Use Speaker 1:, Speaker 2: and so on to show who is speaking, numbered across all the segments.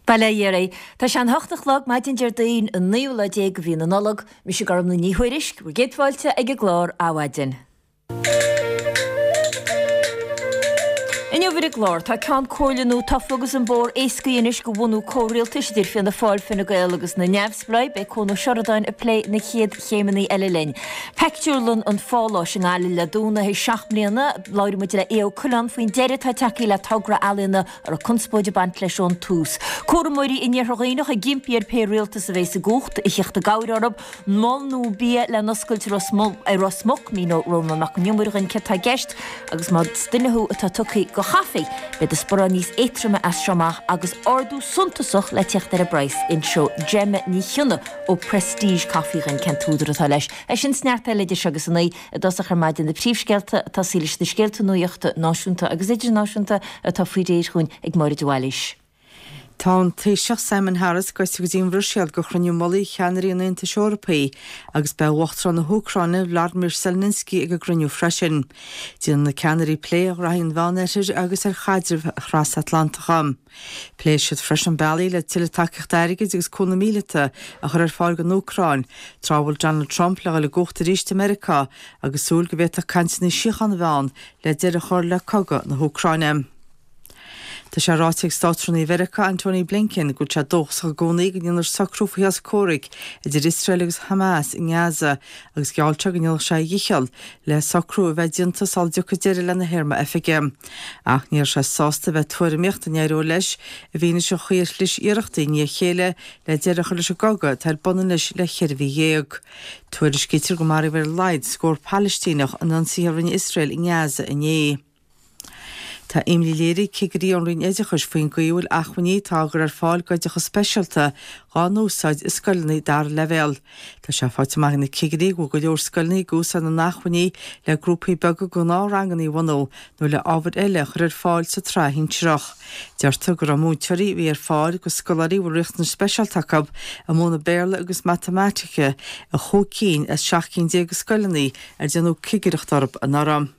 Speaker 1: Bail ó Dhia oraibh. Tá sé an hocht a chlog maidin Déardaoin an naoú lá déag de mhí na Nollag. Mise Gormlaith Ní Thuairisg, bhur gcéad fáilte ag an gclár Adhmhaidin. Inniu ar an gclár, tá Ceann Comhairle nua tofa agus an bóthar éascaithe anois do bhunú comhrialtais idir Fianna Fáil, Fine Gael agus na Neamhspleáigh. Beidh Cuan Ó Seireadáin ag plé na chéad chéimeanna eile linn. Pictiúrlann an Pháláis i nGaillimh le dúnadh théis 7 mbliana. Labhróidh muid le Aodh Ó Coileáin faoin deireadh atá tagtha le togra ealaíona a raibh conspóid ag baint leis ón tús. Cúramóirí in Iarthar Dhuibhneach ag impí ar pé rialtas a bhéas i gcumhacht a theacht i gcabhair orthu. Mol nua bia le n-oscailt i Ros Muc, míneoidh Rónán Mac Con Iomaire dhúinn céard tá i gceist agus más duine thú atá tugtha do chaife, beidh do sparán níos éadtroime as seo amach agus ardú suntasach le teacht ar an bpraghas. Inseoidh Gemma Ní Chionnaith ó Prestige Coffee dhúinn cén t-údar atá leis. É sin 's neart eile idir seo agus a naoi. I dtosach ar maidin na príomhscéalta ag tosaí leis na scéalta nuachta náisiúnta agus idirnáisiúnta atá faoi réir dhúinn ag Máire de Bhailís.
Speaker 2: Tá an Taoiseach Simon Harris gaibhte go dtí an Bhruiséil do chruinniú mullaigh cheannairí an Aontais Eorpaigh agus beidh Uachtarán na hÚcráine Vladimir Zelensky ag an gcruinniú freisin. Déanfaidh na ceannairí plé ar ghraithí an Mheánoirthir agus ar chaidrimh thrasatlantacha. Pléifidh siad freisin bealaí le tuilleadh tacaíochta airgid agus cúnamh míleata a chur ar fáil don Úcráin, tráth a bhfuil Donald Trump le dhul i gcumhacht arís i Meiriceá agus súil go bhféadfadh cainteanna síochána a bheith ann le deireadh a chur le cogadh na hÚcráine. Tá sé ráite ag Státrúnaí Mheiriceá Antony Blinken go bhfuil sé dóchasach i gcónaí go ndéanfar socrú faoi shos comhraic idir Iosrael agus Hamas i nGaza agus gheall sé go ndéanfadh sé a dhícheall le socrú a bheith déanta sula dtiocfaidh deireadh lena théarma oifige. Ach ní raibh sé sásta a bheith ag tuairimíocht an éireoidh leis i bhfianaise an chaoi ar chlis iarrachtaí i ndiaidh a chéile le deireadh a chur leis an gcogadh atá ar bun anois le cheithre mhí dhéag. Tuairiscítear gur maraíodh ar a laghad scór Palaistíneach in ionsaithe a rinne Iosrael i nGaza inné. Tá imní léirithe ag cigirí ón Roinn Oideachais faoin gcaoi a bhfuil acmhainní atá á gcur ar fáil d'oideachas speisialta dhá n-úsáid i scoileanna dara leibhéal. Tá sé faighte amach ag na cigirí go bhfuil go leor scoileanna ag úsáid na n-acmhainní le grúpaí beaga gnáthranganna a bhunú nó le ábhair eile a chur ar fáil sa tsraith shinsearach. Deirtear go raibh múinteoirí a bhí ar fáil do scoláirí a bhfuil riachtanais speisialta acu ag múineadh Béarla agus Matamaitice i chúig cinn as 17 cinn de scoileanna ar déanadh cigireacht orthu anuraidh.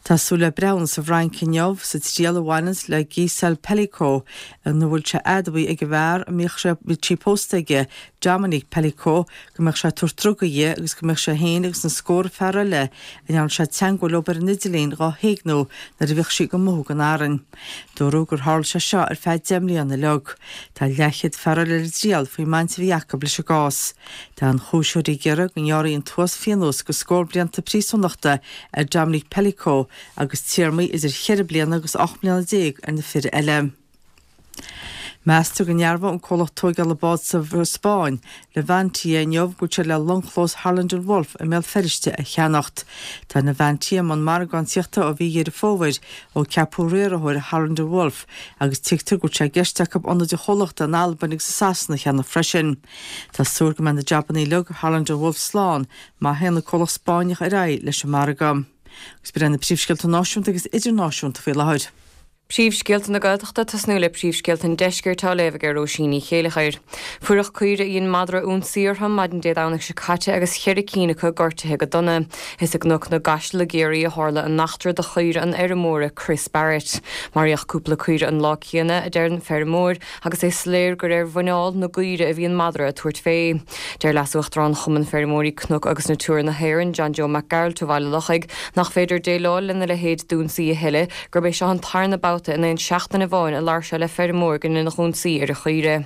Speaker 2: Tá súil le breithiúna sa bhFrainc inniu sa triail a bhaineanns le Gisèle Pelicot ina bhfuil sé admhaithe ag an bhfear a mbíodh sé bhí pósta aige, Dominique Pelicot, go mbeadh sé ag tabhairt drugaí di agus go mbeadh sé féin agus na scórtha fear eile a ndearna sé teangmháil leo ar an idirlíon dhá héigniú nuair a bhíodh sí ag mothú gan fhearainn. Dúradh gur tharla sé seo ar feadh 10 mbliana uilig. Tá leathchéad fear eile ar an dtriail faoin mbaint a bhí acu leis an gcás. Tá an chúiseoirí ag iarraidh go ngearrfaí an t-uas-phionós de scór blianta príosúnachta ar Dominique Pelicot agus téarmaí idir cheithre bliana agus 18 mbliana ar na fir eile. Meastar go ndearbhóidh an comhlacht tóigeála bád sa Spáinn, Navantia, inniu go bhfuil siad le longchlós Harland and Wolff i mBéal Feirste a cheannacht. Tá Navantia i mbun margáíochta ó mhí Dheireadh Fómhair ó ceapadh riarthóir Harland and Wolff agus tuigtear go bhfuil sé i gceist acu ionaid an chomhlachta in Albain agus i Sasana a cheannach freisin. Tá súil go mbeidh na jabannaí uilig i Harland and Wolff slán má théann an comhlacht Spáinneach ar aghaidh leis an margadh. Agus b'in iad na príomhscéalta náisiúnta agus idirnáisiúnta faoi láthair.
Speaker 3: Príomhscéalta na Gaeltachta, tosnú le príomhscéalta an Deiscirt á léamh ag Róisín Ní Chéileachair. Fuireach caoire a dhein madra ionsaí orthu maidin Dé Domhnaigh seo caite agus cheithre cinn acu gortaithe go dona. Is i gCnoc na gCaiseal i gCiarraí a tharla an eachtra do chaoire an fheirmeora Chris Barrett. Maraíodh cúpla caoire an lá céanna, a deir an feirmeoir, agus é soiléir gur ar mhuineál na gcaoire a bhí an madra ag tabhairt fé. Deir Leas-Uachtarán Chumann Feirmeoirí Cnoc agus Natura na hÉireann, John Joe Mac Gearailt ó Bhaile Lochaigh, nach féidir déileáil lena leithéid d'ionsaí a thuilleadh, gurb é seo an tarna babhta in aon seachtain amháin a labhair sé le feirmeoir go ndeineadh ionsaí ar a chaoire.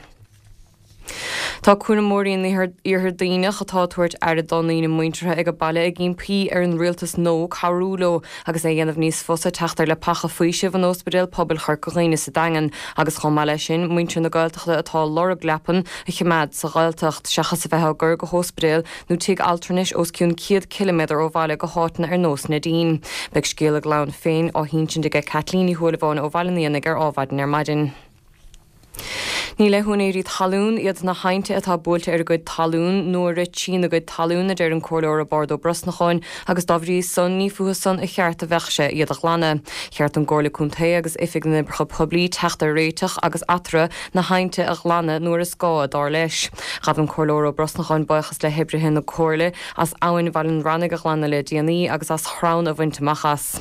Speaker 3: Tá cúramóirí in Iarthar Duibhneach atá ag tabhairt aire dá ndaoine muinteartha ag baile ag impí ar an rialtas nua cabhrú leo agus é a dhéanamh níos fusa teacht ar leapacha faoisimh in Ospidéal Pobail Chorca Dhuibhne sa Daingean agus chomh maith leis sin muintir na Gaeltachta atá ag lorg leapan a choimeád sa Ghaeltacht seachas a bheith á gcur go hóspidéil nó tigh altranais os cionn 100 ciliméadar ó bhaile go háiteanna ar nós Neidín. Beidh scéal a gclann féin á hinsint aige Caitlín Ní Shúilleabháin ó Bhaile an Éanaigh ar Ádhmhaidin ar maidin. Ní le húinéirí talún iad na haibhnte atá buailte ar a gcuid talún nó a rith trína gcuid talún, a deir an Comhairleoir Roibeárd Ó Brosnacháin, agus dá bhrí san ní fúthu san a cheart a bheadh sé iad a ghlanadh. Cheart don gComhairle Contae agus Oifig na nOibreacha Poiblí teacht ar réiteach agus eatarthu na haibhnte a ghlanadh nuair is gá, dar leis. Ghabh an Comhairleoir Ó Brosnacháin buíochas le hoibrithe na Comhairle as abhainn Bhaile an Rannaigh a ghlanadh le déanaí agus as chrann a bhaint amach as.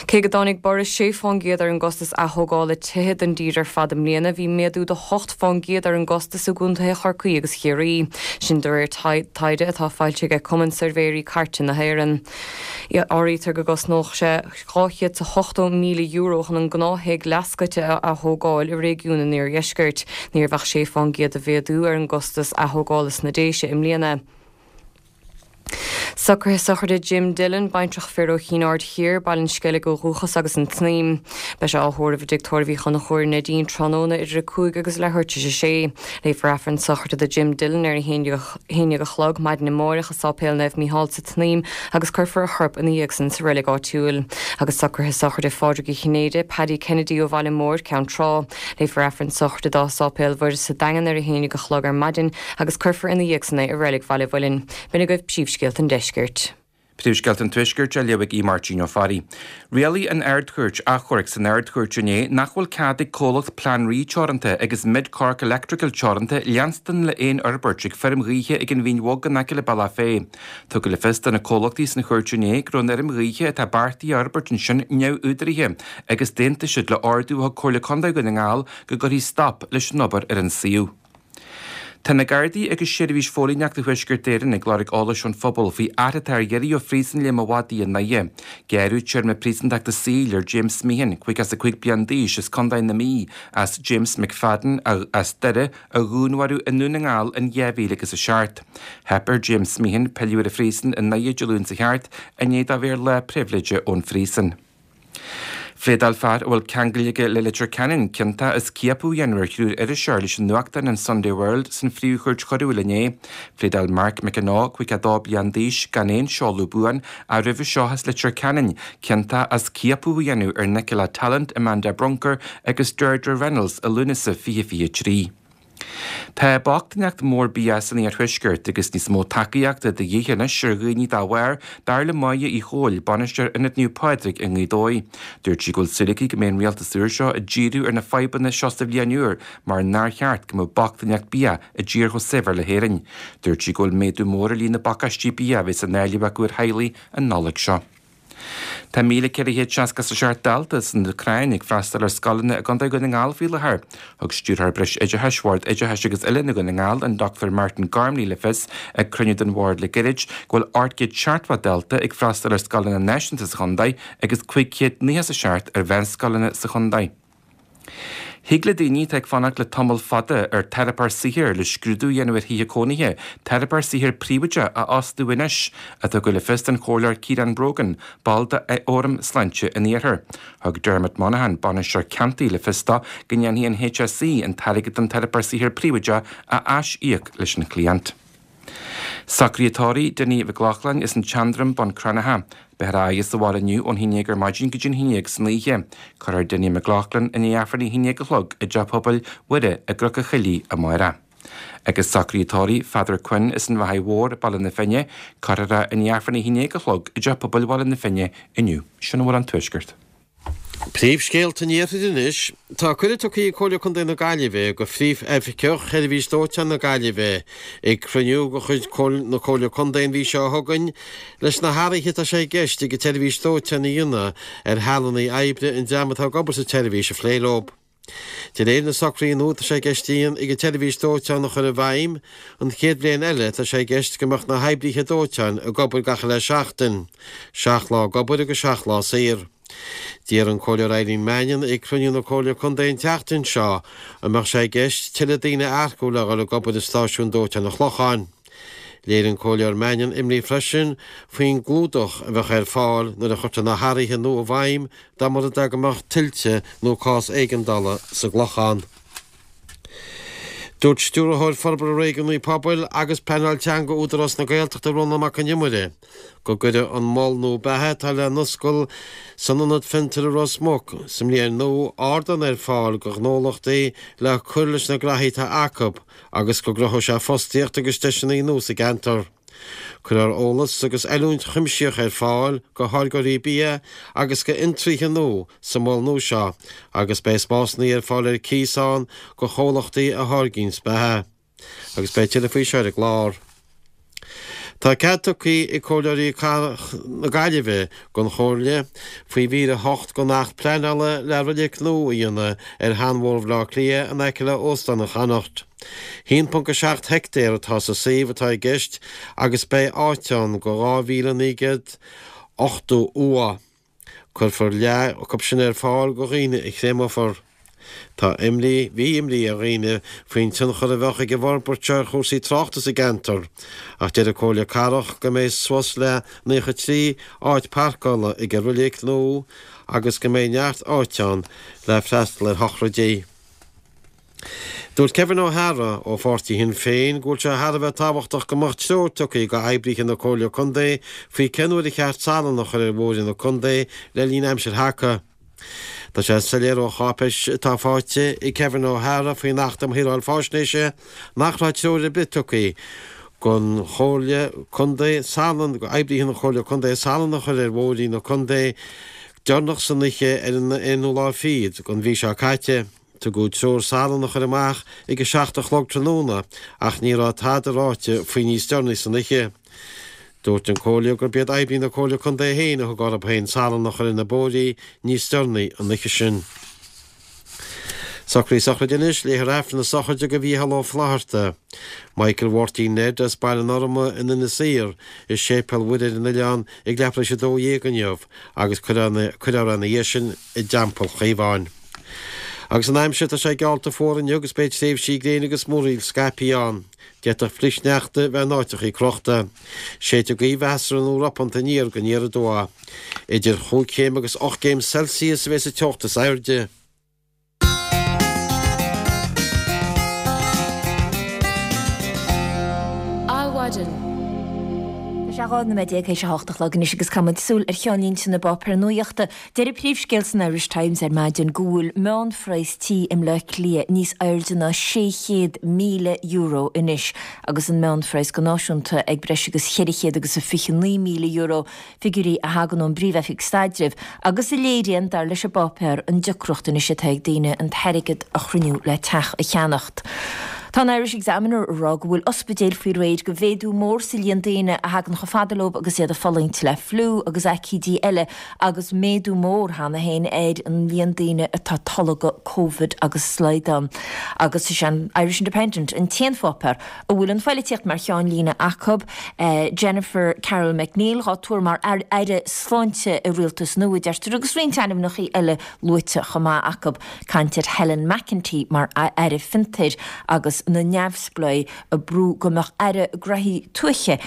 Speaker 3: Cé go dtáinig borradh 6 fán gcéad ar an gcostas athógála tithe don dtír ar fad i mbliana, bhí méadú de 8 fán gcéad ar an gcostas i gcontaetha Chorcaí agus Chiarraí. Sin de réir taighde atá foilsithe ag Cumann Suirbhéirí Cairte na hÉireann. Áirítear go gcosnódh sé €280,000 chun an gnáth-thigh leathscoite a athógáil i réigiún an iardheiscirt. Ní raibh ach 6 fán gcéad de mhéadú ar an gcostas athógála sna Déise i mbliana. Socruithe sochraide Jim Dillon, baintreach fir ó Chinn Aird Thiar, Baile an Sceilg ó dhúchas agus an tSnaidhm. Beidh sé á thórramh i dTigh Tórraimh Uí Chonchúir Neidín tráthnóna idir 5 agus leathuair tar éis a sé. Léifear Aifreann sochraide do Jim Dillon ar a 11 a chlog maidin amáireach i Sáipéal Naomh Mícheál sa tSnaidhm agus cuirfear a chorp ina dhiaidh san sa reilig áitiúil. Agus socruithe sochraide Phádraig Uí Chinnéide, Paddy Kennedy ó Bhaile Móir, Ceann Trá. Léifear Aifreann sochraide dó i Sáipéal Mhuire sa Daingean ar a 11 a chlog ar maidin agus cuirfear ina dhiaidh san é i Reilig Bhaile Mhuilinn. B'in agaibh príomhscéalta an deiscirt.
Speaker 4: Príomhscéalta an Tuaiscirt á léamh ag Aodh Máirtín Ó Fearraigh. Rialaigh an Ard-Chúirt Achomhairc san Ard-Chúirt inné nach bhfuil cead ag comhlacht Plean Rí Teoranta agus Mid Cork Electrical Teoranta leanstan le aon fhorbairt ag feirm ghaoithe ag an Mhín Bhog in aice le Bealach Féich. Tugadh le fios do na comhlachtaí san chúirt inné go raibh an fheirm ghaoithe atá beartaithe a fhorbairt ansin neamhúdaraithe agus d'aontaigh siad le ordú a thug Comhairle Contae Dhún na nGall go gcuirfí stop leis an obair ar an suíomh. Tá na Gardaí agus Seirbhís Phóilíneachta Thuaisceart Éireann ag lorg eolais ón phobal faoi fhear atá ar iarraidh ó Phríosún Léim an Mhadaidh i nDoire. Gearradh téarma príosúntachta saoil ar James Meehan, 55 bliain d'aois, as Contae na Mí, as James McFadden, as Doire, a dhúnmharú i nDún na nGall in 2007. Theip ar James Meehan pilleadh ar an phríosún i nDoire Dé Luain seo thart i ndiaidh dó bheith ar lá pribhléide ón phríosún. Phléadáil fear a bhfuil ceangal aige le Leitir Ceanainn ciontach as ciapadh a dhéanamh ar thriúr iriseoir leis an nuachtán an Sunday World san Phríomh-Chúirt Choiriúil inné. Phléadáil Mark McAnaw, 52 bliain d'aois, gan aon seoladh buan, ach roimhe seo as Leitir Ceanainn, ciontach as ciapadh a dhéanamh ar Nicola Tallant, Amanda Brunker agus Deirdre Reynolds i Lúnasa 2023. Tá bochtaineacht mhór bia san iarthuaisceart agus níos mó tacaíochta de dhíth anois ar dhaoine dá bharr, dar le Máire Uí Chomhaill, bainisteoir Ionad Naomh Pádraig i nGaoth Dobhair. Dúirt sí go bhfuil súil aici go mbeidh an rialtas úr seo ag díriú ar na fadhbanna seo sa bhliain úr mar nár cheart go mbeadh bochtaineacht bia i dtír chomh saibhir le hÉirinn. Dúirt sí go bhfuil méadú mór ar líon na bpacáistí bia a bheas á ndáileadh acu ar theaghlaigh an Nollaig seo. Tá 1,467 dalta san Úcráin ag freastal ar scoileanna i gContae Dhún na nGall faoi láthair. Thug Stiúrthóir Breis Oideachais Bhord Oideachais agus Oiliúna Dhún na nGall, an Dr Martin Gormley le fios ag cruinniú den bhord le gairid go bhfuil 870 dalta ag freastal ar scoileanna náisiúnta sa chontae agus 597 ar mheánscoileanna sa chontae. Thig le daoine atá ag fanacht le tamall fada ar teiripeoir saothair le scrúdú a dhéanamh ar thithe cónaithe, teiripeoir saothair príobháideach a fhostú anois, a tugadh le fios don Chomhairleoir Ciarán Brogan, ball de Fhóram Sláinte an Iarthair. Thug Dermot Monaghan, bainisteoir ceantair, le fios dó go ndéanfaidh an HSE an t-airgead don teiripeoir saothair príobháideach a aisíoc leis an chliant. Socruithe tórraimh Dinny Mhic Lochlainn as an tSeandroim, Bun Cranncha. Beifear á fhaire sa bhaile inniu ón haon dhéag ar maidin go dtí an haon dhéag san oíche. Cuirfear Dinny McLaughlin i ndiaidh Aifreann a haon dhéag a chlog i dTeach Pobail Mhuire i gCnoc an Choilligh amárach. Agus socruithe tórraimh Pheadar Quinn as an Bheathaigh Mhór, Baile na Finne. Cuirfear é i ndiaidh Aifreann a haon dhéag a chlog i dTeach Pobail Bhaile na Finne inniu. Sin a bhfuil ón Tuaisceart.
Speaker 5: Príomhscéalta an Iarthair anois. Tá cuireadh tugtha ag Comhairle Contae na Gaillimhe go Phríomh-Oifigeach Sheirbhís Dóiteáin na Gaillimhe ag cruinniú de chuid na Comhairle Contae an mhí seo chugainn leis na hathruithe atá sé i gceist ag an tseirbhís dóiteáin a dhéanamh ar shealanna oibre an dream atá ag obair sa tseirbhís a phlé leo. De réir na socruithe nua atá sé i gceist ag an tseirbhís dóiteáin a chur i bhfeidhm, an chéad bhliain eile tá sé i gceist go mbeadh na hoibríthe dóiteáin ag obair gach uile seachtain, seacht lá ag obair agus seacht lá saor. D'iarr an Comhairleoir Eileen Mannion ag cruinniú na Comhairle Contae an tseachtain seo an mbeadh sé i gceist tuilleadh daoine a earcú le dhul ag obair i stáisiún dóiteáin an Chlocháin. Léirigh an Comhairleoir Mannion imní freisin faoin gclúdach a bheadh ar fáil nuair a chuirtear na hathruithe nua i bhfeidhm dá mba rud é go mbeadh tuilte nó cás éigeandála sa gClochán. Dúirt Stiúrthóir Forbartha Réigiúnaí Pobail agus Pleanáil Teanga Údarás na Gaeltachta Rónán Mac Con Iomaire go gcuirfidh an mol nua beatha atá le n-oscailt san Ionad Fiontair i Ros Muc sa mbliain nua ardán ar fáil do ghnólachtaí le cur leis na graithí atá acu agus go gcruthóidh sé fostaíocht agus deiseanna nua sa gceantar. Cuirfear eolas agus oiliúint chuimsitheach ar fáil go tháirgeoirí bia agus go fhiontraíthe nua sa mhol nua seo agus beidh spásanna ar fáil ar cíos ann go chomhlachtaí a tháirgíonns beatha. Agus beidh tuilleadh faoi seo ar an gclár. Tá cead tugtha ag Comhairleoirí Cathrach na Gaillimhe don Chomhairle faoi mhír 8 den Acht Pleanála le roilig nua a dhéanamh ar sheanbhóthar Bhaile Átha Cliath in aice le Óstán an Chonnacht. 1.7 heictéar atá sa suíomh atá i gceist agus beidh áit ann do 2,980 uaigh. Cuirfear leath acu sin ar fáil do dhaoine a chréamófar. Tá imní, bhí imní ar dhaoine faoin tionchar a bheadh ag an bhforbairt seo ar chúrsaí tráchta sa gceantar, ach deir an Comhairle Cathrach go mbeidh suas le 93 áit parcála ag an roilig nua agus go mbeidh neart áite ann le freastal ar shochraidí. Dúirt Kevin O'Hara ó pháirtí Shinn Féin go bhfuil sé thar a bheith tábhachtach go mbeadh treoir tugtha go oibrithe na Comhairle Contae faoi cén uair a cheart salann a chur ar bhóithre na contae le linn aimsir thaca. Tá sé soiléir ó cháipéis atá faighte ag Kevin O'Hara faoin Acht um Shaoráil Faisnéise nach raibh treoir ar bith tugtha don Chomhairle Contae salann, go oibrithe na Comhairle Contae salann a chur ar bhóithrí na contae deireanach san oíche ar an aonú lá fichead den mhí seo caite. Tugadh treoir salann a chur amach ag a 7 a chlog tráthnóna ach ní raibh tada ráite faoi níos deireanaí san oíche. Dúirt an Comhairle gurb iad oibrithe na Comhairle Contae féin a thug orthu féin salann a chur ar na bóithrí níos deireanaí an oíche sin. Socruithe sochraide anois, léifear Aifreann na sochraide do Mhícheál Ó Flaithearta, Michael Mháirtín Ned as Baile an Orma in Inis Oírr i Séipéal Mhuire ar an oileán ag leathuair tar éis 12 inniu agus cuirfear é ina dhiaidh sin i dTeampall Chaomháin. Agus an aimsir, tá sé geallta fuar inniu agus beidh tréimhsí gréine agus múraíl scaipthe ann. D'fhéadfadh flichshneachta bheith in áiteachaí crochta. Séidfidh gaoth mheasartha nó ropánta aniar go aniar aduaidh. Idir chúig chéim agus 8 gcéim Celsius a bheas an teocht is airde.
Speaker 1: Adhmhaidin. Tá sé 12 nóiméad théis a hocht a chlog anois agus caithfidh muid súil ar cheannlínte na bpáipéar nuachta. Deir an príomhscéal san Irish Times ar maidin go bhfuil meánphraghas tí i mBleá Cliath níos airde ná €600,000 anois agus an meánphraghas go náisiúnta ag breis agus €429,000, figiúirí a thagann ón bPríomh-Oifig Staidrimh agus a léiríonn, dar leis an bpáipéar, an deacracht anois atá ag daoine an t-airgead a chruinniú le teach a cheannacht. Tá an Irish Examiner ag rá go bhfuil ospidéil faoi réir go mhéadú mór sa líon daoine a thagann chomh fada leo agus iad ag fulaingt le fliú agus aicídí eile agus méadú mór cheana féin ar an líon daoine atá ag tolgadh Covid agus slaghdán. Agus is é an Irish Independent an t-aon pháipéar a bhfuil an phoilitíocht mar cheannlíne acu, Jennifer Carroll MacNeill dhá tuar mar Aire Sláinte i rialtas nua, deirtear, agus roinnt ainmneacha eile luaite chomh maith acu. Caint ar Helen McEntee mar Aire Fiontair agus na neamhspleáigh ag brú go mbeadh Aire Graithí Tuaithe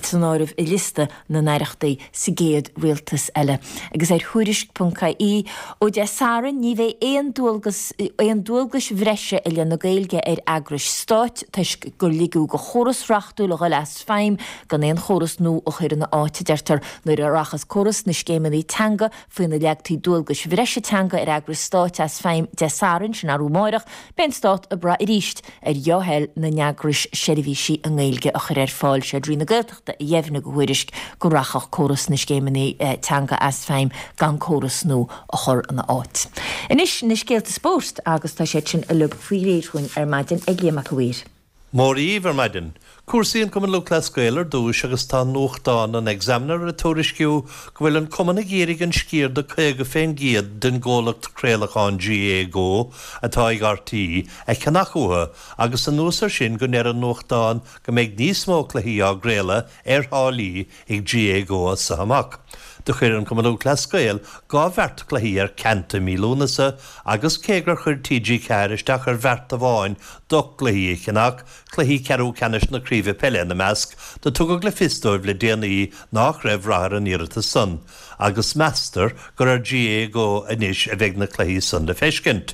Speaker 1: san áireamh i liosta na n-aireachtaí sa gcéad rialtas eile. Agus ar Thuairisc.ie, ó Dé Sathairn ní bheidh aon dualgas aon dualgais bhreise i leith na Gaeilge ar eagrais stáit toisc gur ligeadh do chóras reachtúil a dhul as feidhm gan aon chóras nua a chur ina áit, a deirtear, nuair a rachas córas na scéimeanna teanga faoina leagtaí dualgais bhreise teanga ar eagrais stáit as feidhm Dé Sathairn, sin arú amáireach, beidh an stát ag brath arís ar dhea-thoil na n-eagrais seirbhísí i nGaeilge a chur ar fáil. Sé Roinn na Gaeltachta a dheimhnigh do Thuairisc go rachadh córas na scéimeanna teanga as feidhm gan córas nua a chur ina áit. Anois na scéalta spóirt agus tá siad sin uilig faoi réir chugainn ar maidin ag Liam Mac a' Mhaoir.
Speaker 6: Móra dhíbh ar maidin. Cúrsaí an Cumann Lúthchleas Gael ar dtúis agus tá nuachtán an Examiner ag tuairisciú go bhfuil an cumann ag iarraidh an sciar de 50 fén gcéad den gcomhlacht craolacháin GAAGO atá ag RTÉ a cheannach uathu agus anuas ar sin go ndeir an nuachtán go mbeidh níos mó cluichí á gcraoladh ar tháillí ag GAAGO as so amach. Do chuir an Cumann Lúthchleas Gael 2 bheart cluichí ar ceant i mí Lúnasa agus cé gur chuir TG4 isteach ar bheart amháin d'ocht gcluichí a cheannach, cluichí ceathrú ceannais na Craoibhe Peile ina measc, do tugadh le fios dóibh le déanaí nách raibh rath ar an iarratas san agus meastar gur ar GAAGO anois a bheidh na cluichí san le feiscint.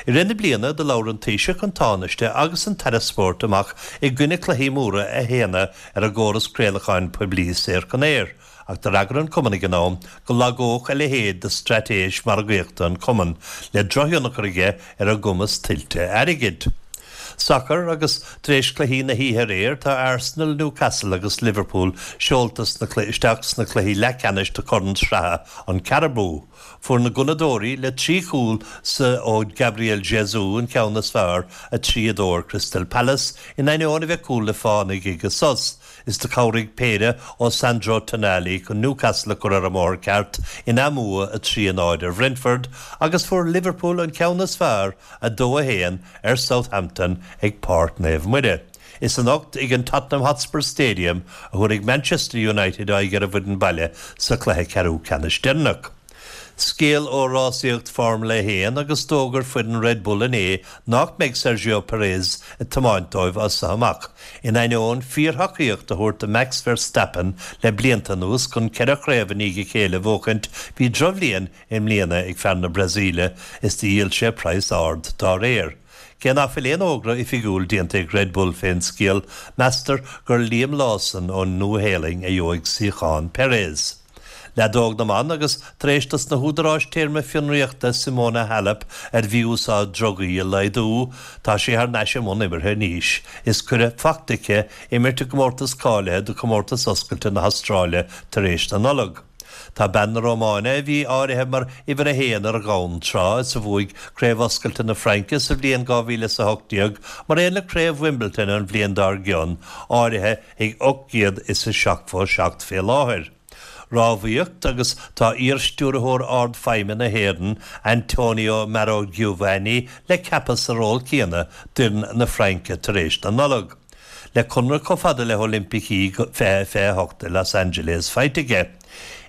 Speaker 6: I rith na bliana do labhair an Taoiseach, an Tánaiste agus an tAire Spóirt amach i gcoinne cluichí móra a shéanadh ar an gcóras craolacháin poiblí saor chun aeir, ach d'fhreagair an Cumann ag an am go lagódh a leithéid de straitéis margaíochta an Cumann, le drochthionchar aige ar a gcumas tuillte airgid. Sacar agus tar éis cluichí na hoíche aréir, tá Arsenal, Newcastle agus Liverpool seolta isteach sna cluichí leathcheannais de Chorn Sraithe an Carabao. Fuair na Gunnadóirí, le 3 chúl ó Gabriel Jesus an ceann is fearr, 3, 2 ar Crystal Palace, in ainneoin a bheith cúl le fánaigh ag an sos. Is do chabhraigh péire ó Sandro Tonali chun Newcastle a chur ar an mbóthar ceart ina mbua 3, 0 ar Bhrentford agus fuair Liverpool an ceann is fearr, 2, 1, ar Southampton ag Páirc Naomh Muire. Is anocht ag an Tottenham Hotspur Stadium a thabharfaidh Manchester United aghaidh ar an bhfoireann baile sa chluiche ceathrú ceannais deireanach. Scéal ó rásaíocht Formula 1 agus d'fhógair foireann Red Bull inné nach mbeidh Sergio Perez ag tiomáint dóibh as seo amach, in ainneoin fíorthacaíocht a thabhairt do Max Verstappen le blianta anuas chun ceithre chraobh i ndiaidh a chéile a bhuachaint, bhí drochbhliain i mbliana ag fear na Brasaíle is do dhíol sé praghas ard dá réir. Cé nach bhfuil aon fhógra oifigiúil déanta ag Red Bull fén scéal, meastar gur Liam Lawson ón Nua-Shéalainn a gheobhaidh suíochán Perez. Leadóg na mban agus tar éis dos na húdaráis téarma fionraíochta Simona Halep ar mhí-úsáid drugaí a laghdú, tá sí thar n-ais i mbun imeartha anois is cuireadh fachta aici imirt i gcomórtas cáilithe do Chomórtas Oscailte na hAstráile tar éis na Nollag. Tá bean na Rómáine, a bhí áirithe mar uimhir a haon ar dhomhan tráth is a bhuaigh Craobh Oscailte na Fraince sa bhliain 2018 mar aon le Craobh Wimbledon an bhliain dár gcionn, áirithe ag 877 fé láthair. Rámhaíocht agus tá iar-Stiúrthóir Ard-Feidhme na hÉireann, Antonio Maurogiovanni le ceapadh sa ról céanna d'fhoireann na Fraince tar éis na Nollag. Le conradh chomh fada le hOilimpicí 2028 i Los Angeles faighte aige.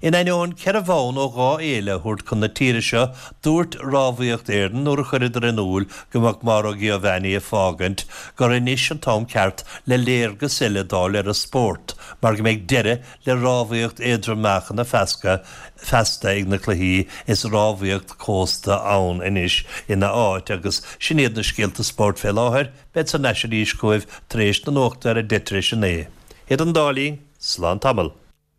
Speaker 6: In ainneoin 4 bhonn ó 2 fhéile a thabhairt chun na tíre seo, dúirt Rámhaíocht Éireann nuair a chuireadar in iúl go mbeadh Maurogiovanni ag fágaint gur anois an t-am ceart le léargas eile d'fháil ar an spórt mar go mbeidh deireadh le rámhaíocht éadrom-meáchana feasta ag na cluichí is rámhaíocht cósta ann anois ina áit agus sin iad na scéalta spóirt fé láthair. Bead thar n-ais arís chugaibh tar éis na nuachta ar 10 tar éis 9. Idir an dá linn, slán tamall.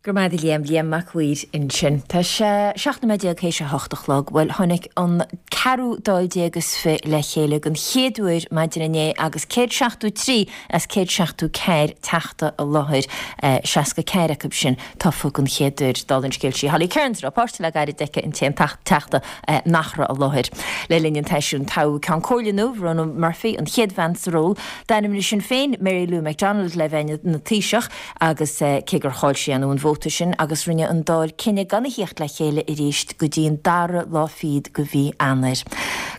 Speaker 1: Go raibh maith agat a Liam, Liam Mac Uidhir ansin. Tá sé 17 nóiméad théis a hocht a chlog. Bhuel, tháinig an ceathrú Dáil déag is fi le chéile den chéad uair maidin inné agus 173 as 174 teachta i láthair, 64 acu sin tofa den chéad uair. Dála an scéil sí Holly Cairns a raibh páiste le gairid aici an t-aon teachta nach raibh i láthair. Le linn an tseisiúin toghadh Ceann Comhairle nua, Verona Murphy, an chéad bhean sa ról. D'ainmnigh Sinn Féin Mary Lou McDonald le bheith ina Taoiseach agus cé gur chaill sí an vóta sin agus rinne an Dáil cinneadh gan a thíocht le chéile arís go dtí an dara lá fichead de mhí Eanáir.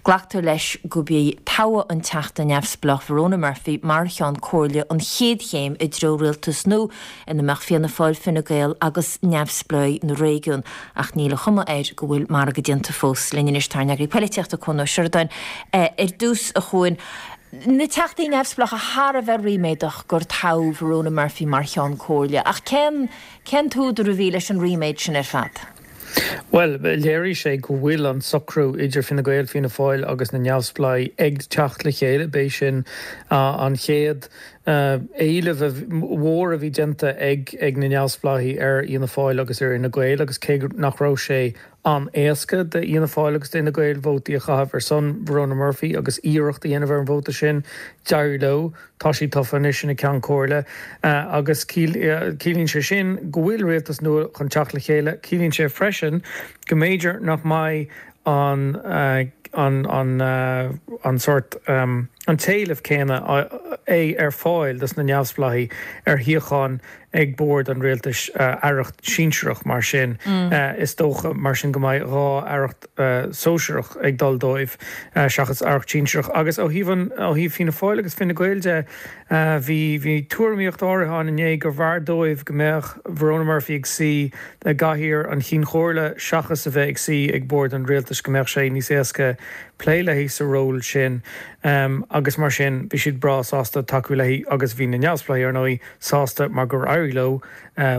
Speaker 1: Glactar leis gurb í toghadh an Teachta neamhspleách Verona Murphy mar Cheann Comhairle an chéad chéim i dtreo rialtas nua ina mbeadh Fianna Fáil, Fine Gael agus neamhspleáigh na réigiún, ach níl an chuma air go bhfuil margadh déanta fós. Linn anois tá ár n-eagraí poilitíochta, Cuan Ó Seireadáin. Ar dtús, a Chuain, na Teachtaí neamhspleácha thar a bheith ríméadach gur toghadh Verona Murphy mar Cheann Comhairle, ach cén cén t-údar a bhí leis an ríméad sin ar fad?
Speaker 7: Bhuel, léirigh sé go bhfuil an socrú idir Fine Gael, Fianna Fáil agus na Neamhspleáigh ag teacht le chéile. B'é sin an chéad éileamh mhór a bhí déanta ag na Neamhspleáigh ar Fhianna Fáil agus ar Fhine Gael agus cé nach raibh sé an-éasca d'Fhianna Fáil agus d'Fhine Gael vótaí a chaitheamh ar son Verona Murphy agus iarracht a dhéanamh ar an vóta sin, d'éirigh leo. Tá sí tofa anois ina Ceann Comhairle agus ciallaíonn sé sin go bhfuil rialtas nua chun teacht le chéile. Ciallaíonn sé freisin go mb'fhéidir nach mbeidh an an an sórt an t-éileamh céanna é ar fáil dos na neamhspleáigh ar shuíocháin ag bord an rialtais, aireacht sinsearach mar sin. Is dócha mar sin go mbeidh 2 aireacht sóisearach ag dul dóibh seachas aireacht sinsearach. Agus ó thaobh an, ó thaobh Fianna Fáil agus Fine Gael de, bhí, bhí tuairimíocht áirithe ann inné gurbh fhearr dóibh go mbeadh Verona Murphy ag suí i gcathaoir an Chinn Chomhairle seachas a bheith ag suí ag bord an rialtais, go mbeadh sé níos éasca plé léi sa ról sin. Agus mar sin, bhí siad breá sásta tacú léi agus bhí na neamhspleáigh, ar ndóigh, sásta mar gur éirigh leo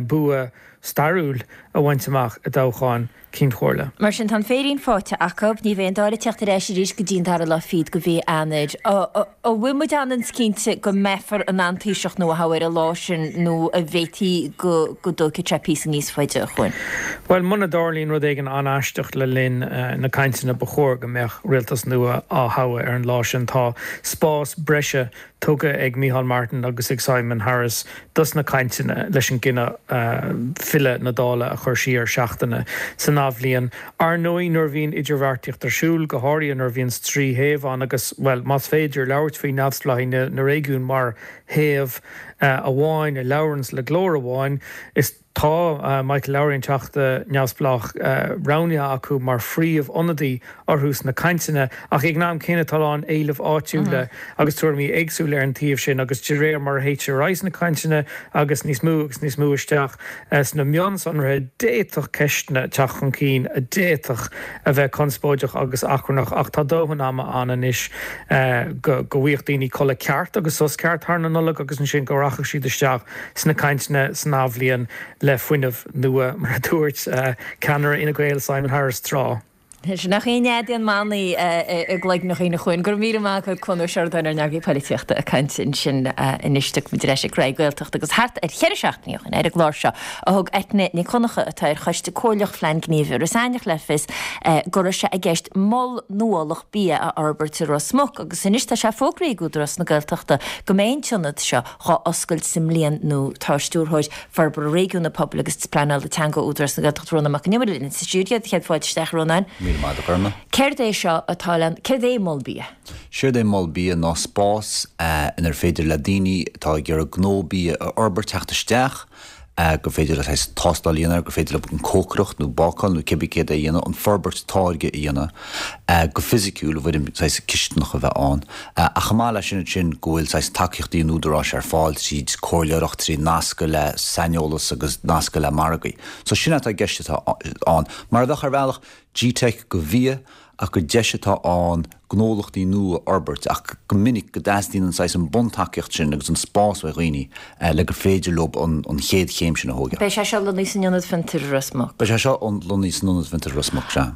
Speaker 7: bua. stairiúil a bhaint amach i dtoghchán Cinn Chomhairle.
Speaker 1: Mar sin, tá an féirín faighte acu. Ní bheidh an Dáil ag teacht ar ais arís go dtí an dara lá fichead de mhí Eanáir. An bhfuil muid ionann cinnte go mbeifear in ann Taoiseach nua a thoghadh ar an lá sin nó an bhféadfaí go dtógfaidh sé píosa níos faide, a Chuain?
Speaker 7: Bhuel, muna dtarlaíonn rud éigin an-aisteach le linn na cainteanna ba chóir go mbeadh rialtas nua á thoghadh ar an lá sin. Tá spás breise tugtha ag Micheál Martin agus ag Simon Harris dos na cainteanna leis an gcinneadh filleadh na Dála a chur siar seachtaine san athbhliain. Ar ndóigh, nuair a bhíonn idirbheartaíocht ar siúl, go háirithe nuair a bhíonns 3 thaobh ann agus, bhuel, más féidir labhairt faoi neamhspleáigh na réigiún mar thaobh amháin a labhranns le glór amháin, is. Tá Michael Lowry, an Teachta neamhspleách, roghnaithe acu mar phríomh-ionadaí orthu sna cainteanna ach ag an am céanna tá a lán éilimh áitiúla agus tuairimí éagsúla ar an taobh sin agus de réir mar a théitear ar aghaidh sna cainteanna agus níos mó agus níos mó isteach sna mionsonraithe d'fhéadfadh ceisteanna teacht chun cinn a d'fhéadfadh a bheith conspóideach agus achrannach ach tá dóthain ama ann anois go bhfaigheadh daoine codladh ceart agus sos ceart thar na Nollag agus ansin go rachadh siad isteach sna cainteanna san athbhliain le fuinneamh nua, mar a dúirt ceannaire Fhine Gael Simon Harris tráth.
Speaker 1: Sin nach aon nead aon manaí i gcloigne dhaoine chugainn. Go raibh míle maith agat Cuan Ó Seireadáin ár n-eagraí poilitíochta ag caint ansin anois. Tiocfaidh muid ar ais ag Rté Gaeltacht agus thart ar cheithre seachtainí ó shin ar an gclár seo a thug Eithne Nic Dhonncha atá ar choiste comhairleach Phlean Gníomh Iorras Aithneach le fios go raibh sé i gceist mol nuálach bia a fhorbairt i Ros Muc agus anois tá sé fógraithe ag Údarás na Gaeltachta go mbeidh an t-ionad seo dhá oscailt sa mbliain nua. Tá Stiúrthóir Forbartha Réigiúnaí Pobail agus Pleanála Teanga Údarás na Gaeltachta Rónán Mac Con Iomaire linn sa stiúideo. Céad fáilte isteach, a Rónáin.
Speaker 8: Míle maith agat, a Ghorma.
Speaker 1: Céard é seo atá le, céard é Mol Bia?
Speaker 8: Séard é Mol Bia ná spás inar féidir le daoine atá ag iarraidh gnó bia a fhorbairt teacht isteach, gur féidir leo saghas tástáil a dhéanamh air, gur féidir leo an cócaireacht nó bácáil nó cibé céard é a dhéanamh, an forbairt táirge a dhéanamh go fisiciúil i bhfoirm saghas cisteanach a bheith ann. Ach chomh maith leis sin ansin go bhfuil saghas tacaíochtaí an Údaráis ar fáil tríd comhairleoireacht, trí nascadh le saineolas agus nascadh le margaí. So sin atá i gceist atá ann. Mar a bheadh ar bhealach GTeic do bhia ach gur deis atá ann gnólachtaí nua a fhorbairt ach go minic go dteastaíonn an saghas an buntacaíocht sin agus an spás ó dhaoine le gur féidir leo an chéad chéim sin a thógáil.
Speaker 1: Beidh sé seo lonnaithe san Ionad Fiontair i Ros Muc.
Speaker 8: Beidh sé seo lonnaithe san Ionad Fiontair i Ros Muc, sea.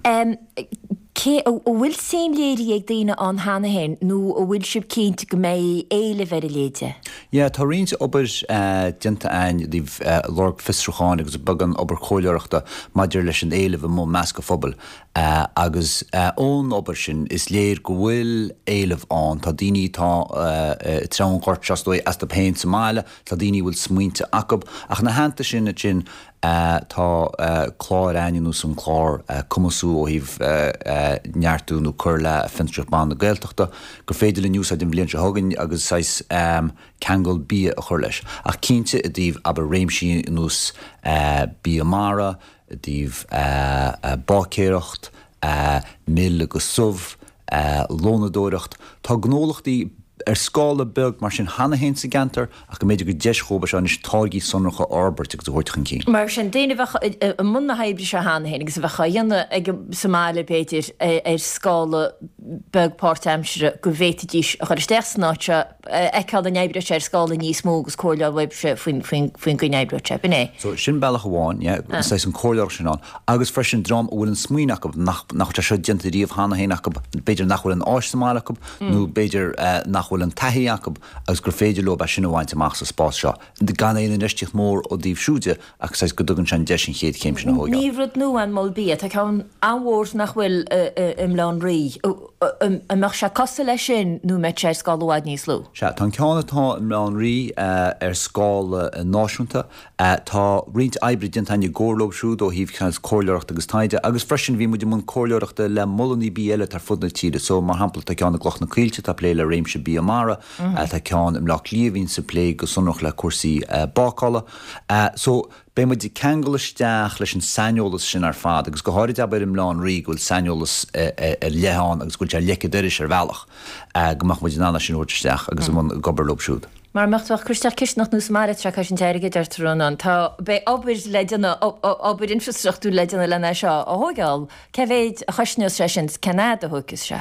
Speaker 1: Cé, an bhfuil suim léirithe ag daoine ann cheana féin nó an bhfuil sibh cinnte go mbeidh éileamh ar a leithéid de?
Speaker 8: Yeah, tá roinnt obair déanta againn i dtaobh lorg fiosrúcháin agus beagán obair chomhairleoireachta maidir leis an éileamh amuigh i measc an phobail. Agus ón obair sin is léir go bhfuil éileamh ann. Tá daoine atá ag treabhadh an ghoirt seo is dóigh astu féin sa mbaile, tá daoine a bhfuil smaointe acu. Ach ina theannta sin ansin tá cláir againn ar nós an clár Cumasú ó thaobh neartú nó cur le fiontraíocht ban na Gaeltachta gur féidir linn úsáid an bhliain seo chugainn agus saghas ceangal bia a chur leis. Ach cinnte i dtaobh abair réimsí ar nós bia mara, i dtaobh báicéireacht, mil agus subh, lónadóireacht. Tá gnólachtaí ar scála beag mar sin cheana féin sa gceantar ach go mb'fhéidir gur deis dhóibh é seo anois táirgí sonracha a fhorbairt agus a thabhairt chun cinn.
Speaker 1: Mar sin, daoine a bheadh i mbun na hoibre seo cheana féin agus a bheadh á dhéanamh ag sa mbaile b'fhéidir ar scála beag páirtaimseartha go bhféadfaidís a chur isteach san áit seo, a fheiceáil an oibreoidh sé ar scála níos mó agus comhairle uaibhse faoin gcaoi a n-oibreoidh sé. B'in é.
Speaker 8: So, sin bealach amháin, yeah, saghas an comhairleoireacht sin ann. Agus freisin dream a bhfuil an smaoineamh acu nach, nach bhfuil sé seo déanta riamh cheana féin acu, b'fhéidir nach bhfuil an áis sa mbaile acu nó b'fhéidir nach bhfuil an taithí acu agus gur féidir leo é sin a bhaint amach sa spás seo, gan aon infheistíocht mhór ó dtaobh siúd de ach saghas go dtugann sé an deis an chéad chéim sin a thógáil.
Speaker 1: Ní rud nua an Mol Bia, tá ceann an-mhór nach bhfuil i mBaile Átha an Rí. An mbeadh sé cosúil leis sin nó an mbeadh sé ar scála i bhfad níos lú?
Speaker 8: Sea, tá an ceann atá i mBaile Átha an Rí ar scála náisiúnta. Tá roinnt oibre déanta againn i gcomhar leo siúd ó thaobh saghas comhairleoireachta agus taighde agus freisin bhí muid i mbun comhairleoireachta le molanna bia eile atá ar fud na tíre. So, mar shampla, tá ceann i gCloich na Coillte atá ag plé le réimse bia mara, tá ceann i mBleá Cliath a bhíonns ag plé go sonrach le cúrsaí bácála. So, beidh muid ag ceangal isteach leis an saineolas sin ar fad agus go háirid abair i mBaile Átha an Rí go bhfuil saineolas ar leith ann agus go bhfuil sé ar leic an dorais ar bhealach, go mbeadh muid in ann é sin a thabhairt isteach agus i mbun ag obair leo siúd.
Speaker 1: Mara mbeadh tú ach ag cur isteach cisteanach nua sa mbaile tá sé ag cosaint airgid, deirtear Rónán. Tá, beidh obair le déanamh, obair infreastruchtúir le déanamh lena seo a thóigeáil. Cé mhéid a chosnós sé sin 's cén fhad a thógfas sé?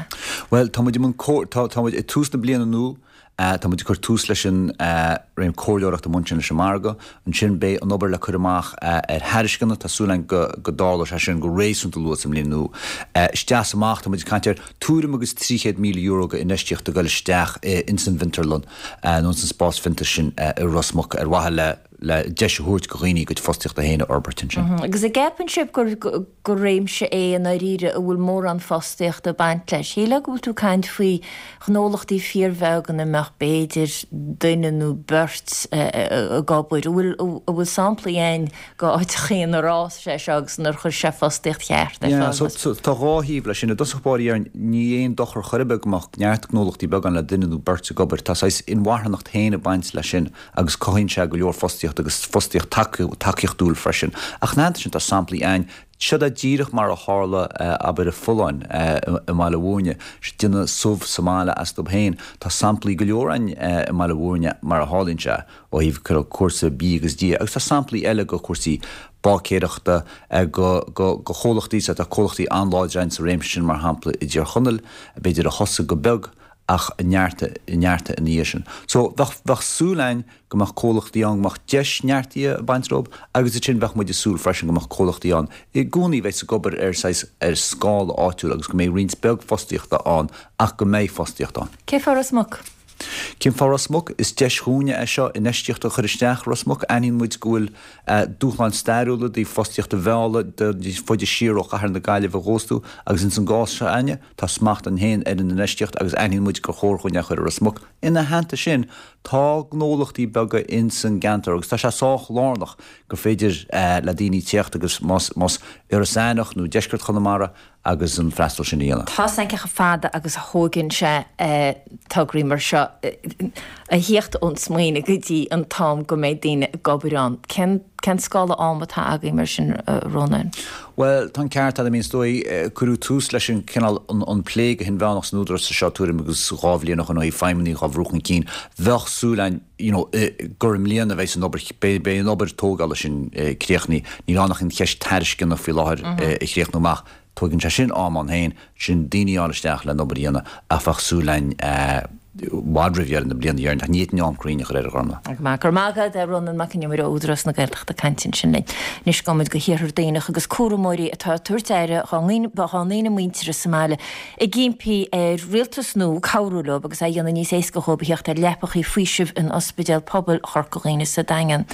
Speaker 8: Bhuel, tá muid i mbun, tá, tá muid ag tús na bliana nua. Tá muid ag cur tús leis an réim comhairleoireachta amuigh ansin leis an margadh. Ansin beidh an obair le cur amach ar thairisceana. Tá súil againn go dtarlóidh sé sin go réasúnta luath sa mbliain nua. Isteach is amach, tá muid ag caint ar tuairim agus €300,000 go infheistíocht ag dul isteach ins an bhfiontarlann nó ins an spás fiontair sin i Ros Muc ar mhaithe le le deis a thabhairt go dhaoine a gcuid fostaíochta féin a fhorbairt ansin.
Speaker 1: Agus an gceapann sibh gur gur réimse é i ndáiríre a bhfuil mórán fostaíochta ag baint leis? Shílfeá go bhfuil tú ag caint faoi ghnólachtaí fíorbheag ina mbeadh b'fhéidir duine nó beirt ag obair. An bhfuil an bhfuil samplaí ann go áiteachaí inar fhás sé seo agus inar chuir sé fostaíocht cheart ar
Speaker 8: fáil? Yeah, so tá dhá thaobh leis sin. I dtosach báire déarfainn, ní aon dochar chor ar bith go mbeadh neart gnólachtaí beaga ann le duine nó beirt ag obair. Tá saghas inmharthanacht féin ag baint leis sin. agus cothaíonn sé go leor fostaíochta agus fostaíocht tacaíochtúil freisin. Ach ina theannta sin tá samplaí ann, seod é díreach mar a tharla abair i Folláin i mBaile Mhúirne, déanamh subh sa mbaile astu féin. Tá samplaí go leor ann i mBaile Mhúirne mar a tharlaíonn sé ó thaobh cúrsa bídh agus dí agus tá samplaí eile go cúrsaí báicéireachta go go chomhlachtaí, tá comhlachtaí an-láidre ann sa réimse sin mar shampla i dTír Chonaill, b'fhéidir a thosaigh go beag ach a neartaigh, neartaigh ina dhiaidh sin. So, bheadh, bheadh súil a'inn go mbeadh comhlachtaí ann, go mbeadh deis neartaithe ag baint leo agus ansin bheadh muid ag súil freisin go mbeadh comhlachtaí ann i gcónaí a bheas ag obair ar saghas, ar scála áitiúil agus go mbeidh roinnt beag fostaíochta ann ach go mbeidh fostaíocht ann.
Speaker 1: Cén fáth Ros Muc?
Speaker 8: Cén fáth Ros Muc? Is deis dhúinne é seo infheistíocht a chur isteach i Ros Muc. Aithníonn muid go bhfuil dúshláin stairiúla i dtaobh fostaíocht a mhealladh níos faide siar ó chathair na Gaillimhe a dh'óstú agus ins an gcás seo a'inne, Tá smacht a'inn féin ar an infheistíocht agus aithníonn muid gur chóir dhúinn é a chur i Ros Muc. Ina theannta sin, tá gnólachtaí beaga ins an gceantar agus tá sé sách lárnach gur féidir le daoine téacht agus más más Iorras Aithneach nó deisceart Chonamara agus an freastal sin a dhéanamh.
Speaker 1: Tá 's a'm cé chomh fada agus a thóigeann sé tograí mar seo a thíocht ón smaoineamh go dtí an t-am go mbeidh daoine ag obair ann. Cén Cén scála ama atá againn mar sin, a Rónáin?
Speaker 8: Bhuel, tá an ceart agat, I mean, is dóigh, cuireadh tús leis an cineál, an plé go hinmheánach san Údarás seo tuairim agus 2 bhliain ó shin ó thaobh feidhmeannaigh dhá bhrú chun cinn. Bheadh súil againn, you know, gur i mbliana a bheidh an obair, beidh, beidh an obair tógála sin críochnaithe. Níl ann ach an cheist tairisceana faoi láthair a chríochnú amach. Tóigeann sé sin am ann féin, sin daoine a fháil isteach le an obair a dhéanamh ach bheadh súil againn i bhfad roimh dheireadh na bliana dhéarfainn ach ní fhéadfainn am cruinn a chur air a Ghormfhlaith.
Speaker 1: Go maith, go raibh maith agat, a Rónán Mac an Iomaire ó Údarás na Gaeltachta ag caint ansin linn. Anois gabhfaidh muid go hiarthar Duibhneach agus cúramóirí atá ag tabhairt aire dhá ndaoine muinteartha sa mbaile ag impí ar rialtas nua cabhrú leo agus é a dhéanamh níos éasca dhóibh a theacht ar leapachaí faoisimh in Ospidéal Pobail Chorca Dhuibhne sa Daingean.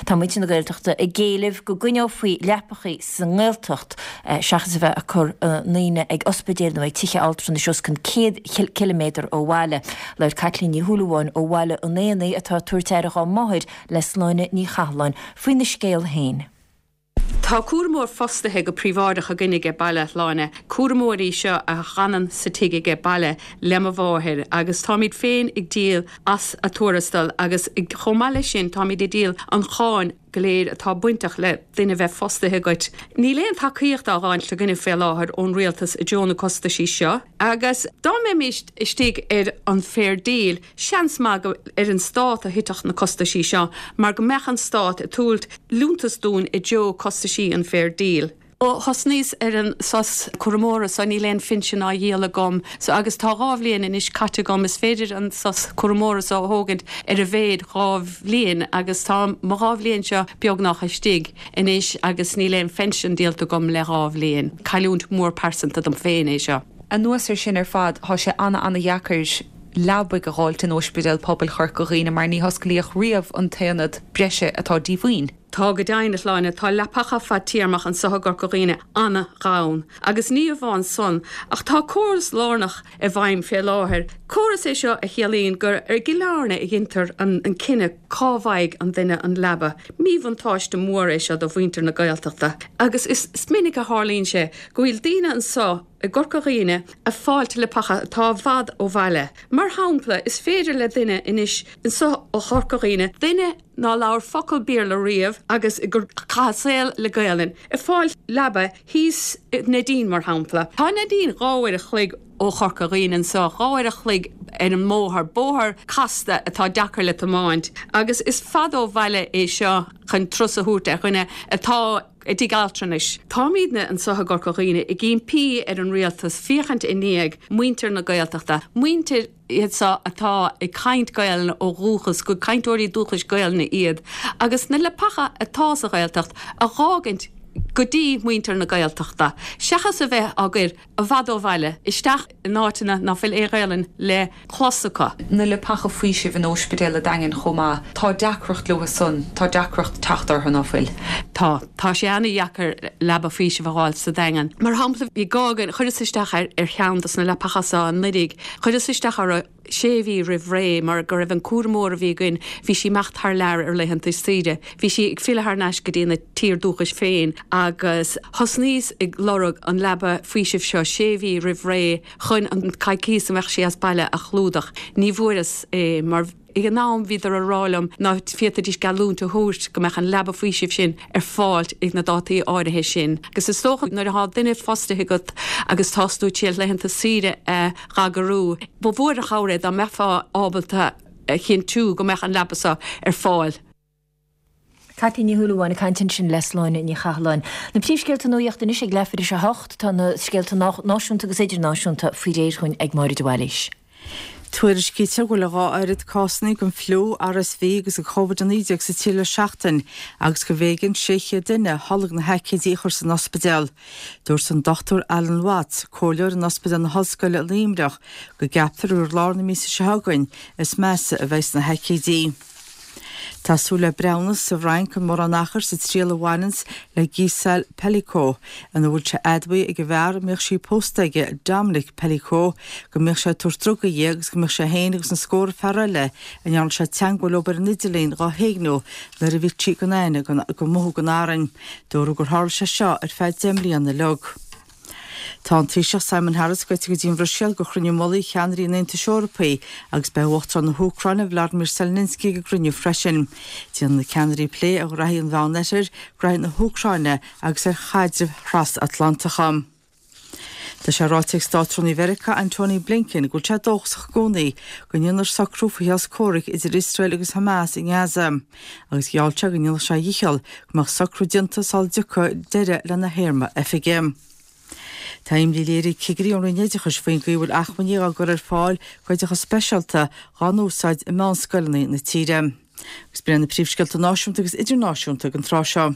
Speaker 1: Tá muintir na Gaeltachta ag éileamh go gcoinneofaí leapachaí sa nGaeltacht seachas a bheith ag cur a ndaoine ag ospidéil nó ag tithe altranais os cionn 100 ciliméadar ó bhaile. Labhair Caitlín Ní Shúilleabháin ó Bhaile an Éanaigh atá ag tabhairt aire dhá máthair le Sláine Ní Chathalláin faoina scéal féin.
Speaker 9: Tá cúramóir fostaithe go príobháideach againn aige baile, a Shláine. Cúramóir í seo a dh'fhanann sa tigh aige baile le mo mháthair agus táimid féin ag díol as a tuarastal agus chomh maith leis sin táimid ag díol an cháin go léir atá bainteach le duine bheith fostaithe agat. Níl aon tacaíocht á dh'fháilt againne fé láthair ón rialtas i dtreo na costaisí seo agus dá mbeimis istigh ar an Fair Deal seans maith gur ar an stát a thitfeadh na costaisí seo mar go mbeadh an stát ag tabhairt liúntas dúinn i dtreo costaisí an Fair Deal. Ó thosnaíos ar an sos cúramóra so níl aon phinsean á dhíol agam so agus tá 2 bhliain anois caite agam. Is féidir an sos cúramóra so a thógaint ar a mhéad 2 bhliain agus tá mo 2 bhliain seo beagnách istigh anois agus níl aon phension díolta agam le 2 bhliain. Cailliúint mhór pearsanta dom féin é seo.
Speaker 10: Anuas ar sin ar fad tá sé ana-ana-dheacair leabaidh a dh'fháilt in Ospidéal Pobail Chorca Dhuibhne mar ní hosclaíodh riamh an t-aonad breise atá díomhaoin.
Speaker 9: Tá go deimhin, a Shláine, tá leapacha fadtéarmach anso i gCorca Dhuibhne ana-ghann. Agus ní amháin san, ach tá córas lárnach i bhfeidhm fé láthair. Córas é seo a chiallaíonn gur i gCill Airne a dheintear an cinneadh cá bhfaighidh an duine an leaba. Míbhuntáiste mór é seo do mhuintir na Gaeltachta. Agus is minic a tharlaíonn sé go bhfuil daoine anso i gCorca Dhuibhne a' fáilt leapacha atá i bhfad ó bhaile. Mar shampla, is féidir le duine anois anso ó Chorca Dhuibhne, duine, ná labhair focal Béarla riamh agus gur chaith a saol le Gaelainn, ag fáil leaba thíos i Neidín, mar shampla. Tá Neidín 2 uair a chloig ó Chorca Dhuibhne anso, 2 uair a chloig ar an mbóthar, bóthar casta atá deacair le tiomáint, agus is fada ó bhaile é seo chun turas a thabhairt ar dhuine atá i dtigh altranais. Táimídne anso i gCorca Dhuibhne ag impí ar an rialtas féachaint i ndiaidh muintir na Gaeltachta, muintir. iad so atá ag caint Gaelainne ó dhúchas, gur cainteoirí dúchais Gaelainne iad, agus na leapacha atá sa Ghaeltacht a dh'fhágaint go dtí muintir na Gaeltachta, seachas a bheith á gcur i bhfad ó bhaile, isteach in áiteanna ná fuil aon Ghaelainn le clos acu.
Speaker 10: Na leapacha faoisimh in Óispidéal a' Daingin chomh maith, tá deacracht leo san, tá deacracht teacht orthu, ná fuil?
Speaker 9: Tá. Tá sé ana-dheacair leaba faoisimh a dh'fháil sa Daingean. Mar shampla, bhí gá againn, chuireas isteach ar ar cheann dos na leapacha so anuiridh, chuireas isteach orthu sé mhí roimh ré mar go raibh an cúramóir a bhí againn, bhí sí imeacht thar lear ar laethanta saoire, bhí sí ag filleadh thar n-ais go dtí na tír dúchais féin agus thosnaíos ag lorg an leaba faoisimh seo sé mhí roimh ré chun an coicíos a mbeadh sí as baile a chlúdach. Ní bhfuaireas é mar. Ag an am bhíodar a rá liom ná féadfaidís geallúint a thabhairt go mbeadh an leaba faoisimh sin ar fáilt ag na dátaí áirithe sin. Agus is dócha nuair atá duine fostaithe agat agus tás tú tar éis laethanta saoire a dh'eagrú, ba mhór an chabhair é dá mbeifeá ábalta a chinntiú go mbeadh an leaba so ar fáil.
Speaker 1: Caitlín Ní Shúilleabháin ag caint ansin le Sláine Ní Chathalláin. Na príomhscéalta nuachta anois ag leathuair tar éis a hocht. Tá na scéalta náisiúnta agus idirnáisiúnta faoi réir dhúinn ag Máire de Bhailís.
Speaker 2: Tuairiscítear go bhfuil a dhá oiread cásanna den fliú, RSV agus de Covid-19 sa tír le seachtain agus gurbh éigean 600 duine a tholg na haicídí a chur san ospidéal. Dúirt an Dr Alan Watts, comhairleoir in Ospidéal na hOllscoile i Luimneach, go gceaptar gur i lár na míosa seo chugainn is measa a bheidh na haicídí. Tá súil le breithiúnas sa bhFrainc gan mórán achair sa triail a bhaineanns le Gisèle Pelicot, ina bhfuil sé admhaithe ag an bhfear a mbíodh sí pósta aige, Dominique Pelicot, go mbíodh sé ag tabhairt drugaí di agus go mbíodh sé féin agus na scórtha fear eile a ndearna sé teangmháil leo ar an idirlíon dhá héigniú nuair a bhí sí gan aithne gan mothú den arraing. Dúradh gur tharla sé seo ar feadh 10 mbliana uilig. Tá an Taoiseach Simon Harris gaibhte go dtí an Bhruiséil go chruinniú mullaigh cheannairí an Aontais Eorpaigh agus beidh Uachtarán na hÚcráine Vladimir Zelensky ag an gcruinniú freisin. Déanfaidh na ceannairí plé ar ghraithí an Mheánoirthir, graithí na hÚcráine agus ar chaidrimh thrasatlantacha. Tá sé ráite ag Státrúnaí Mheiriceá Antony Blinken go bhfuil sé dóchasach i gcónaí go ndéanfar socrú faoi shos comhraic idir Iosrael agus Hamas i nGaza agus gheall sé go ndéanfadh sé a dhícheall go mbeadh socrú déanta sula dtiocfaidh deireadh lena théarma oifige. Tá imní léirithe ag cigirí ón Roinn Oideachais faoin gcaoi a bhfuil acmhainní á gcur ar fáil d'oideachas speisialta dhá n-úsáid i meánscoileanna na tíre. Agus b'in iad na príomhscéalta náisiúnta agus idirnáisiúnta ag an tráth seo.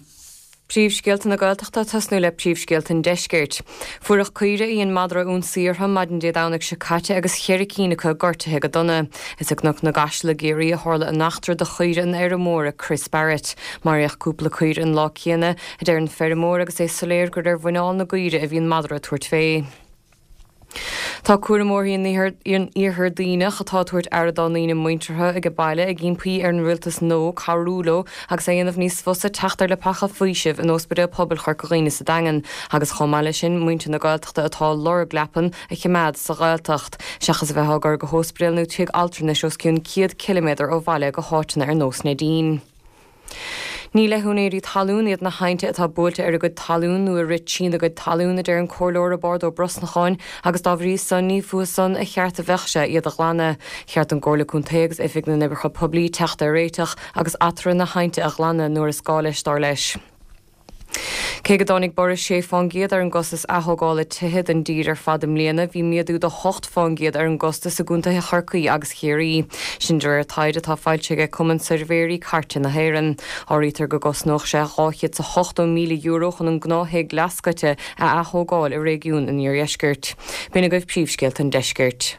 Speaker 3: Príomhscéalta na Gaeltachta ag tosnú le príomhscéalta an Deiscirt. Fuireach caoire a dhein madra ionsaí orthu maidin Dé Domhnaigh seo caite agus cheithre cinn acu gortaithe go dona. Is i gCnoc na gCaiseal i gCiarraí a tharla an eachtra do chaoire an fheirmeora Chris Barrett. Maraíodh cúpla caora an lá céanna, a deir an feirmeoir agus é soiléir gur ar mhuineál na gcaoire a bhí an madra ag tabhairt fé. Tá cúramóirí in Iarthar Duibhneach atá ag tabhairt aire dá ndaoine muinteartha age baile ag impí ar an rialtas nua cabhrú leo agus é a dhéanamh níos fusa teacht ar leapacha faoisimh in Óspidéal Pobail Chorca Dhuibhne sa Daingean agus chomh maith leis sin muintir na Gaeltachta atá ag lorg leapan a choimeád sa Ghaeltacht seachas a bheith á gcur go hóspidéal nó tigh altranais os cionn 100 ciliméadar ó bhaile go háiteanna ar nós Neidín. Ní le húinéirí talún iad na hainnte atá buailte ar a gcuid talún nó a rith trína gcuid talún, a deir an Comhairleoir Roibeárd Ó Brosnacháin, agus dá bhrí san ní fúthu san a cheart a bheadh sé iad a ghlanadh. Cheart don gComhairle Contae agus Oifig na nOibreacha Poiblí teacht ar réiteach agus eatarthu na hainnte a ghlanadh nuair is gá leis, dar leis. Cé go dtáinig borradh 6 fán gcéad ar an gcostas athógála tithe don dtír ar fad i mbliana, bhí méadú de 8 fán gcéad ar an gcostas i gcontaetha Chorcaí agus Chiarraí. Sin de réir taighde atá foilsithe ag Cumann Suirbhéirí Cairte na hÉireann. Áirítear go gcosnódh sé €280,000 chun an gnáth-thigh leathscoite a athógáil i réigiún an Iardheiscirt. B'in agaibh príomhscéalta an deiscirt.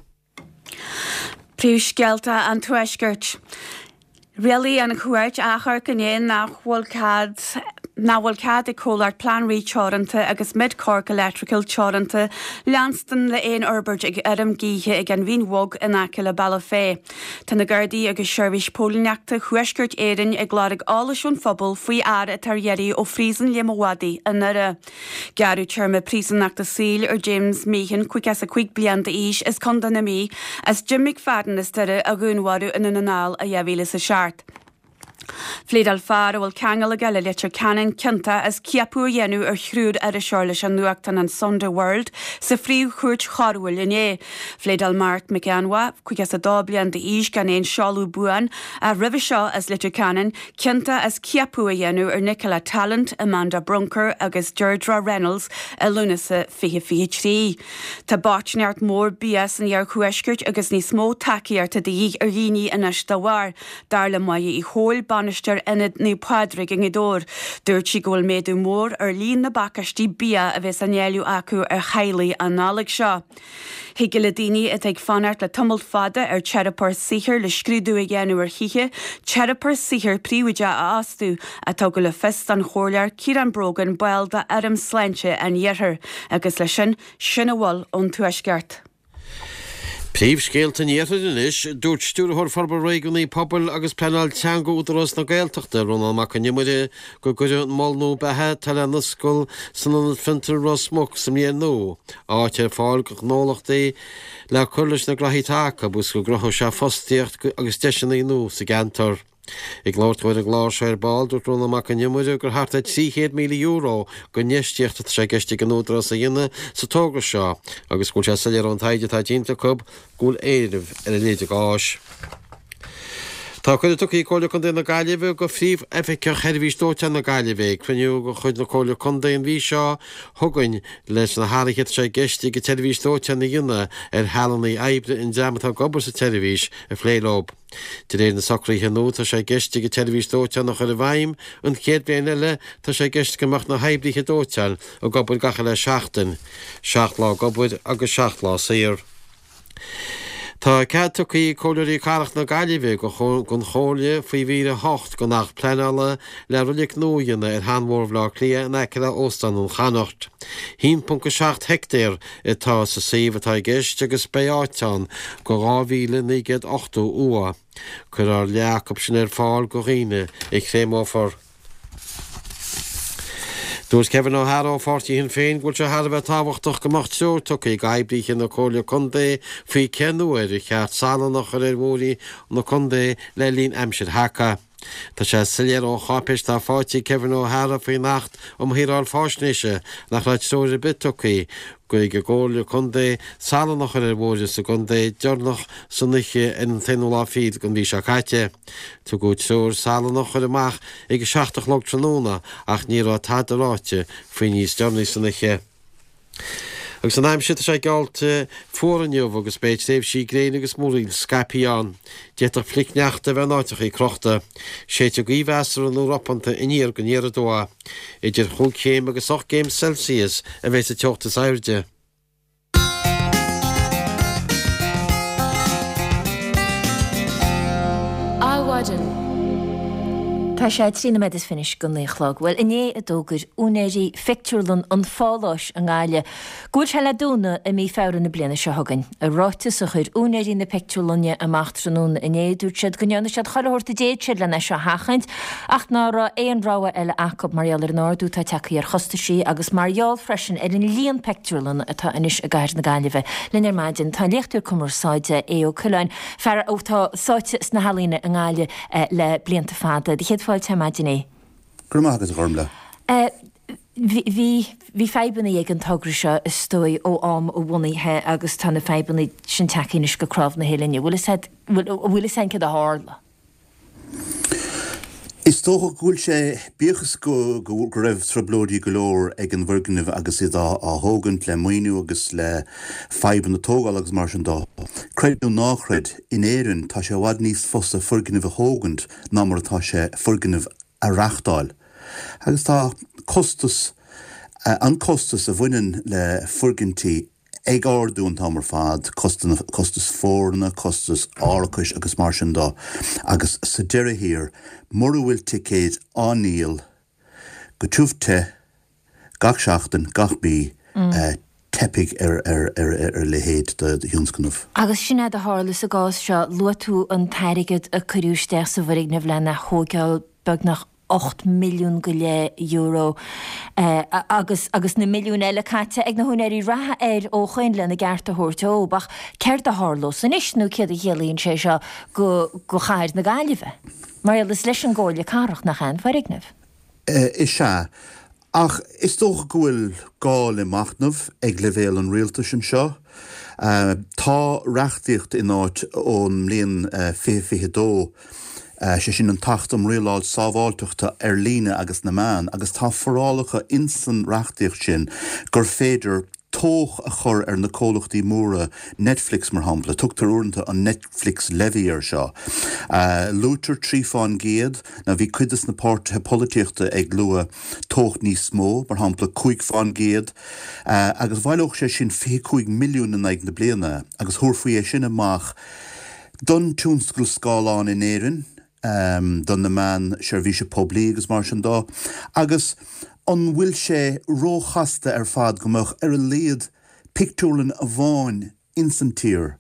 Speaker 11: Príomhscéalta an Tuaiscirt. Rialaigh an Chúirt Achomhairc inné nach bhfuil cead nach bhfuil cead ag comhlacht Planree Teoranta agus Mid Cork Electrical Teoranta leanstan le aon fhorbairt ag fheirm gaoithe ag an Bhinn Bhog in aice le Bealach Féich. Tá na Gardaí agus Seirbhís Póilíneachta Thuaisceart Éireann ag lorg eolais ón phobal faoi fhear atá ar iarraidh ó Phríosún Liam Ó Mhadaidh i nDoire. Gearradh téarma príosúnachta saoil ar James Meehan, 55 bliain d'aois, as Contae na Mí, as Jim McFadden as Doire a dhúnmharú i nDún na nGall i 2007. Phléadáil fear a bhfuil ceangal aige le Leitir Ceanainn ciontach as ciapadh a dhéanamh ar thriúr iriseoir leis an nuachtán an Sunday World sa Phríomh-Chúirt Choiriúil inné. Phléadáil Mark McEnwa, 52 bliain d'aois gan aon seoladh buan ach roimhe seo as Leitir Ceanainn, ciontach as ciapadh a dhéanamh ar Nicola Tallant, Amanda Brunker agus Deirdre Reynolds i Lúnasa 2023. Tá bochtaineacht mhór bia san iarthuaisceart agus níos mó tacaíochta de dhíth ar dhaoine anois dá bharr, dar le Máire Uí Chomhail, bainisteoir Ionad Naomh Pádraig i nGaoth Dobhair. Dúirt sí go bhfuil méadú mór ar líon na bpacáistí bia a bheas á ndáileadh acu ar theaghlaigh an Nollaig seo. Thig le daoine atá ag fanacht le tamall fada ar teiripeoir saothair le scrúdú a dhéanamh ar thithe, teiripeoir saothair príobháideach a fhostú, a tugadh le fios don Chomhairleoir Ciarán Brogan, ball d'Fhóram Sláinte an Iarthair, agus leis sin, sin a bhfuil ón Tuaisceart.
Speaker 5: Príomhscéalta an Iarthair anois, Dúirt Stiúrthóir Forbartha Réigiúnaí Pobail agus Pleanáil Teanga Údarás na Gaeltachta, Rónán Mac Con Iomaire, go gcuirfidh an mol nua beatha atá le n-oscailt san Ionad Fiontair Ros Muc sa mbliain nua, áit ar fáil do ghnólachtaí le cur leis na graithí atá acu agus go gcruthóidh sé fostaíocht agus deiseanna nua sa gceantar. Ag labhairt dó ar an gclár seo ar ball, dúirt Rónán Mac Con Iomaire gur thart ar €300,000 d'infheistíocht atá sé i gceist ag an Údarás a dhéanamh sa togra seo agus go bhfuil sé soiléir ón taighde atá déanta acu go bhfuil éileamh ar a leithéid de áis. Tá cuireadh tugtha ag Comhairle Contae na Gaillimhe do Phríomh-Oifigeach Sheirbhís Dóiteáin na Gaillimhe ag cruinniú de chuid na Comhairle Contae an mhí seo chugainn leis na hathruithe atá sé i gceist ag an tseirbhís dóiteáin a dhéanamh ar shealanna oibre an dream atá ag obair sa tseirbhís a phlé leo. De réir na socruithe nua tá sé i gceist ag an tseirbhís dóiteáin a chur i bhfeidhm an chéad bhliain eile tá sé i gceist go mbeadh na hoibrithe dóiteáin ag obair gach uile sheachtain, 7 lá ag obair agus 7 lá saor. Tá cead tugtha ag Comhairleoirí Cathrach na Gaillimhe don Chomhairle faoi mhír 8 den Acht Pleanála le roilig nua a dhéanamh ar sheanbhóthar Bhaile Átha Cliath in aice le Óstán an Chonnacht. 1.7 heictéar atá sa suíomh atá i gceist agus beidh áit ann do 2,980 uaigh. Cuirfear leath acu sin ar fáil do dhaoine a chréamófar. Dúirt Kevin O'Hara ó pháirtí Shinn Féin go bhfuil sé thar a bheith tábhachtach go mbeadh treoir tugtha ag oibríthe na Comhairle Contae faoi cén uair ar cheart salann a chur ar bhóithrí na contae le linn aimsir sheaca. Tá sé soiléir ó cháipéis atá faighte ag Kevin O'Hara faoin Acht um Shaoráil Faisnéise nach raibh treoir ar bith tugtha ag an gComhairle Contae salann a chur ar bhóithre sa gcontae deireanach san oíche ar an t-aonú lá fichead den mhí seo caite. Tugadh treoir salann a chur amach ag a 7 a chlog tráthnóna ach ní raibh tada ráite faoi níos deireanaí san oíche. Agus an aimsir, tá sé geallta fuar inniu agus beidh tréimhsí gréine agus múraíl scaipthe ann. D'fhéadfadh flichshneachta a bheith in áiteachaí crochta. Séidfidh gaoth mheasartha nó ropánta aniar go aniar aduaidh. Idir chúig chéim agus ocht gcéim Celsius a bheidh sa teocht is airde.
Speaker 1: Adhmhaidin. Tá sé 13 nóiméad is fiche go 9 a chlog. Bhuel, inné a d'fhógair úinéirí phictiúrlann an Pháláis i nGaillimh go bhfuil sé le dúnadh i mí Feabhra na bliana seo chugainn. I ráiteas a chuir úinéirí na pictiúrlainne amach tráthnóna inné, dúirt siad go ndearna siad chuile shórt a d'fhéad siad lena seo a sheachaint ach ná raibh aon rogha eile acu mar gheall ar an ardú atá tagtha ar chostaisí agus mar gheall freisin ar an líon pictiúrlanna atá anois i gcathair na Gaillimhe. Linn ar maidin tá an léachtóir cumarsáide Aodh Ó Coileáin, fear atá sáite sna healaíona i nGaillimh le blianta fada. Do chéad fáilte ar maidin a Aodh.
Speaker 12: Go raibh maith agat a Ghormlaith.
Speaker 1: Bhí bhí fadhbanna ag an togra seo is dóigh ó am a bhunaithe agus tá na fadhbanna sin tagtha anois go cnámh na huillinne. Bhfuil bhfuil fhios a'inn céard a tharla?
Speaker 12: Is dócha go bhfuil sé, bíodh is go go raibh trioblóidí go leor ag an bhfoirgneamh agus iad á thógaint le maoiniú agus le fadhbanna tógála agus mar sin dó, creid nó ná creid, in Éirinn tá sé i bhfad níos fusa foirgneamh a thógaint ná mar atá sé foirgneamh a reachtáil. Agus tá costas, an costas a bhaineann le foirgintí, ag ardú an t-am ar fad, costas foirne, costas árachais agus mar sin dó. Agus sa deireadh thiar, mura bhfuil ticéid á ndíol go tiubh te gach seachtain, gach mí, teipfidh ar a leithéid de thionscnamh.
Speaker 1: Agus sin é a tharla sa gcás seo. Luaigh tú an t-airgead a cuireadh isteach sa bhfoirgneamh lena thóigeáil beagnach. 8 milliún go leith euro agus agus na milliúin eile caite ag na húinéirí reatha air ó shoin lena gceart a thabhairt dóibh. Ach céard a tharlós anois nó céard a chiallaíonn sé seo go go chathair na Gaillimhe? Mar gheall is leis an gComhairle Cathrach nach ea an foirgneamh?
Speaker 12: Is ea. Ach is dócha go bhfuil gá le machnamh ag leibhéal an rialtais anseo. Tá reachtaíocht in áit ón mbliain 2022, sé sin an tAcht um Rialáil Sábháilteachta ar Líne agus na Meán, agus tá forálacha insan reachtaíocht sin gur féidir tobhach a chur ar na comhlachtaí móra, Netflix mar shampla, tugtar uaireanta an Netflix Levy air seo. Luaitear 3 fán gcéad, now bhí cuid des na páirtithe polaitíochta ag lua tobhach níos mó, mar shampla 5 fán gcéad, agus bhaileodh sé sin 25 milliún in aghaidh na bliana agus thabharfaí é sin amach don tionscal scáileán in Éirinn. do na meáin seirbhíse poiblí agus mar sin dó, agus an bhfuil sé róchasta ar fad go mbeadh ar a laghad pictiúrlann amháin ins an tír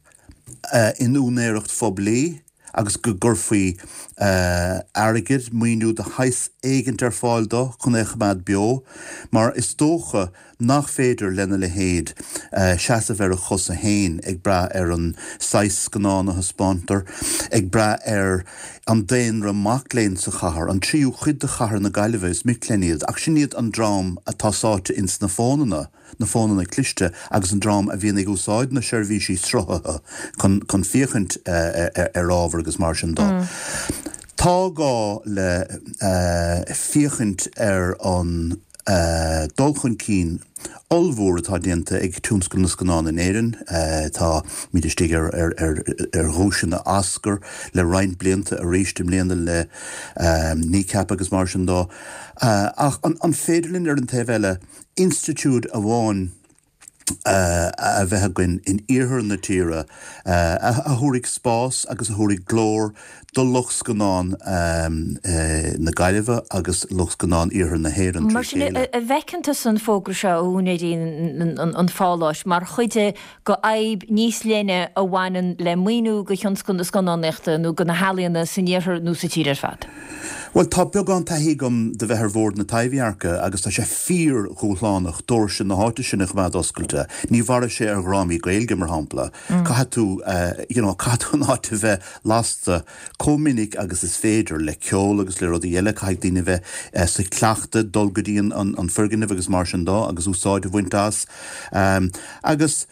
Speaker 12: in úinéireacht phoiblí agus go gcuirfí airgead, maoiniú de shaghas éigint ar fáil dó chun é a choimeád beo, mar is dócha nach féidir lena leithéid seasamh ar a chosa féin ag brath ar an saghas scannán a thaispeántar, ag brath ar an daonra mac léinn sa chathair, an tríú cuid de chathair na Gaillimhe, is mic léinn iad, ach sin iad an dream atá sáite ins na fónanna, na fónanna cliste agus an dream a bhíonn ag úsáid na seirbhísí sruthaithe chun chun féachaint ar ábhar agus mar sin dó. Tá gá le féachaint ar an dul chun cinn ollmhór atá déanta ag tionscal na scannán in Éirinn. Táimid istigh ar dhuaiseanna Oscar le roinnt blianta, arís i mbliana le Kneecap agus mar sin dó. Ach an féidir linn ar an taobh eile institiúid amháin a bheith againn in iarthar na tíre a thabharfaidh spás agus a thabharfaidh glór do lucht scannán na Gaillimhe agus lucht scannán iarthar na hÉireann
Speaker 1: Mar
Speaker 12: trí
Speaker 1: sin,
Speaker 12: chéile.
Speaker 1: an bhfeiceann tusa an fógra seo ó úinéirí an pháláis mar chuid de fhadhb níos leithne a bhaineann le maoiniú do thionscal na scannánaíochta nó do na healaíona san iarthar nó sa tír ar fad?
Speaker 12: Bhuel, tá beagán taithí agam de bheith ar bhord na Taibhdheirce agus tá sé fíor-dhúshlánach doirse na háite sin a choimeád oscailte. Ní mhairfidh sé ar dhrámaí Gaeilge, mar shampla. Caithfidh tú, you know, caithfidh tú an áit a bheith lasta chomh minic agus is féidir, le ceol agus le rudaí eile. Caithfidh daoine a bheith sa chleachtadh dul go dtí an foirgneamh agus mar sin dó agus úsáid a bhaint as. Agus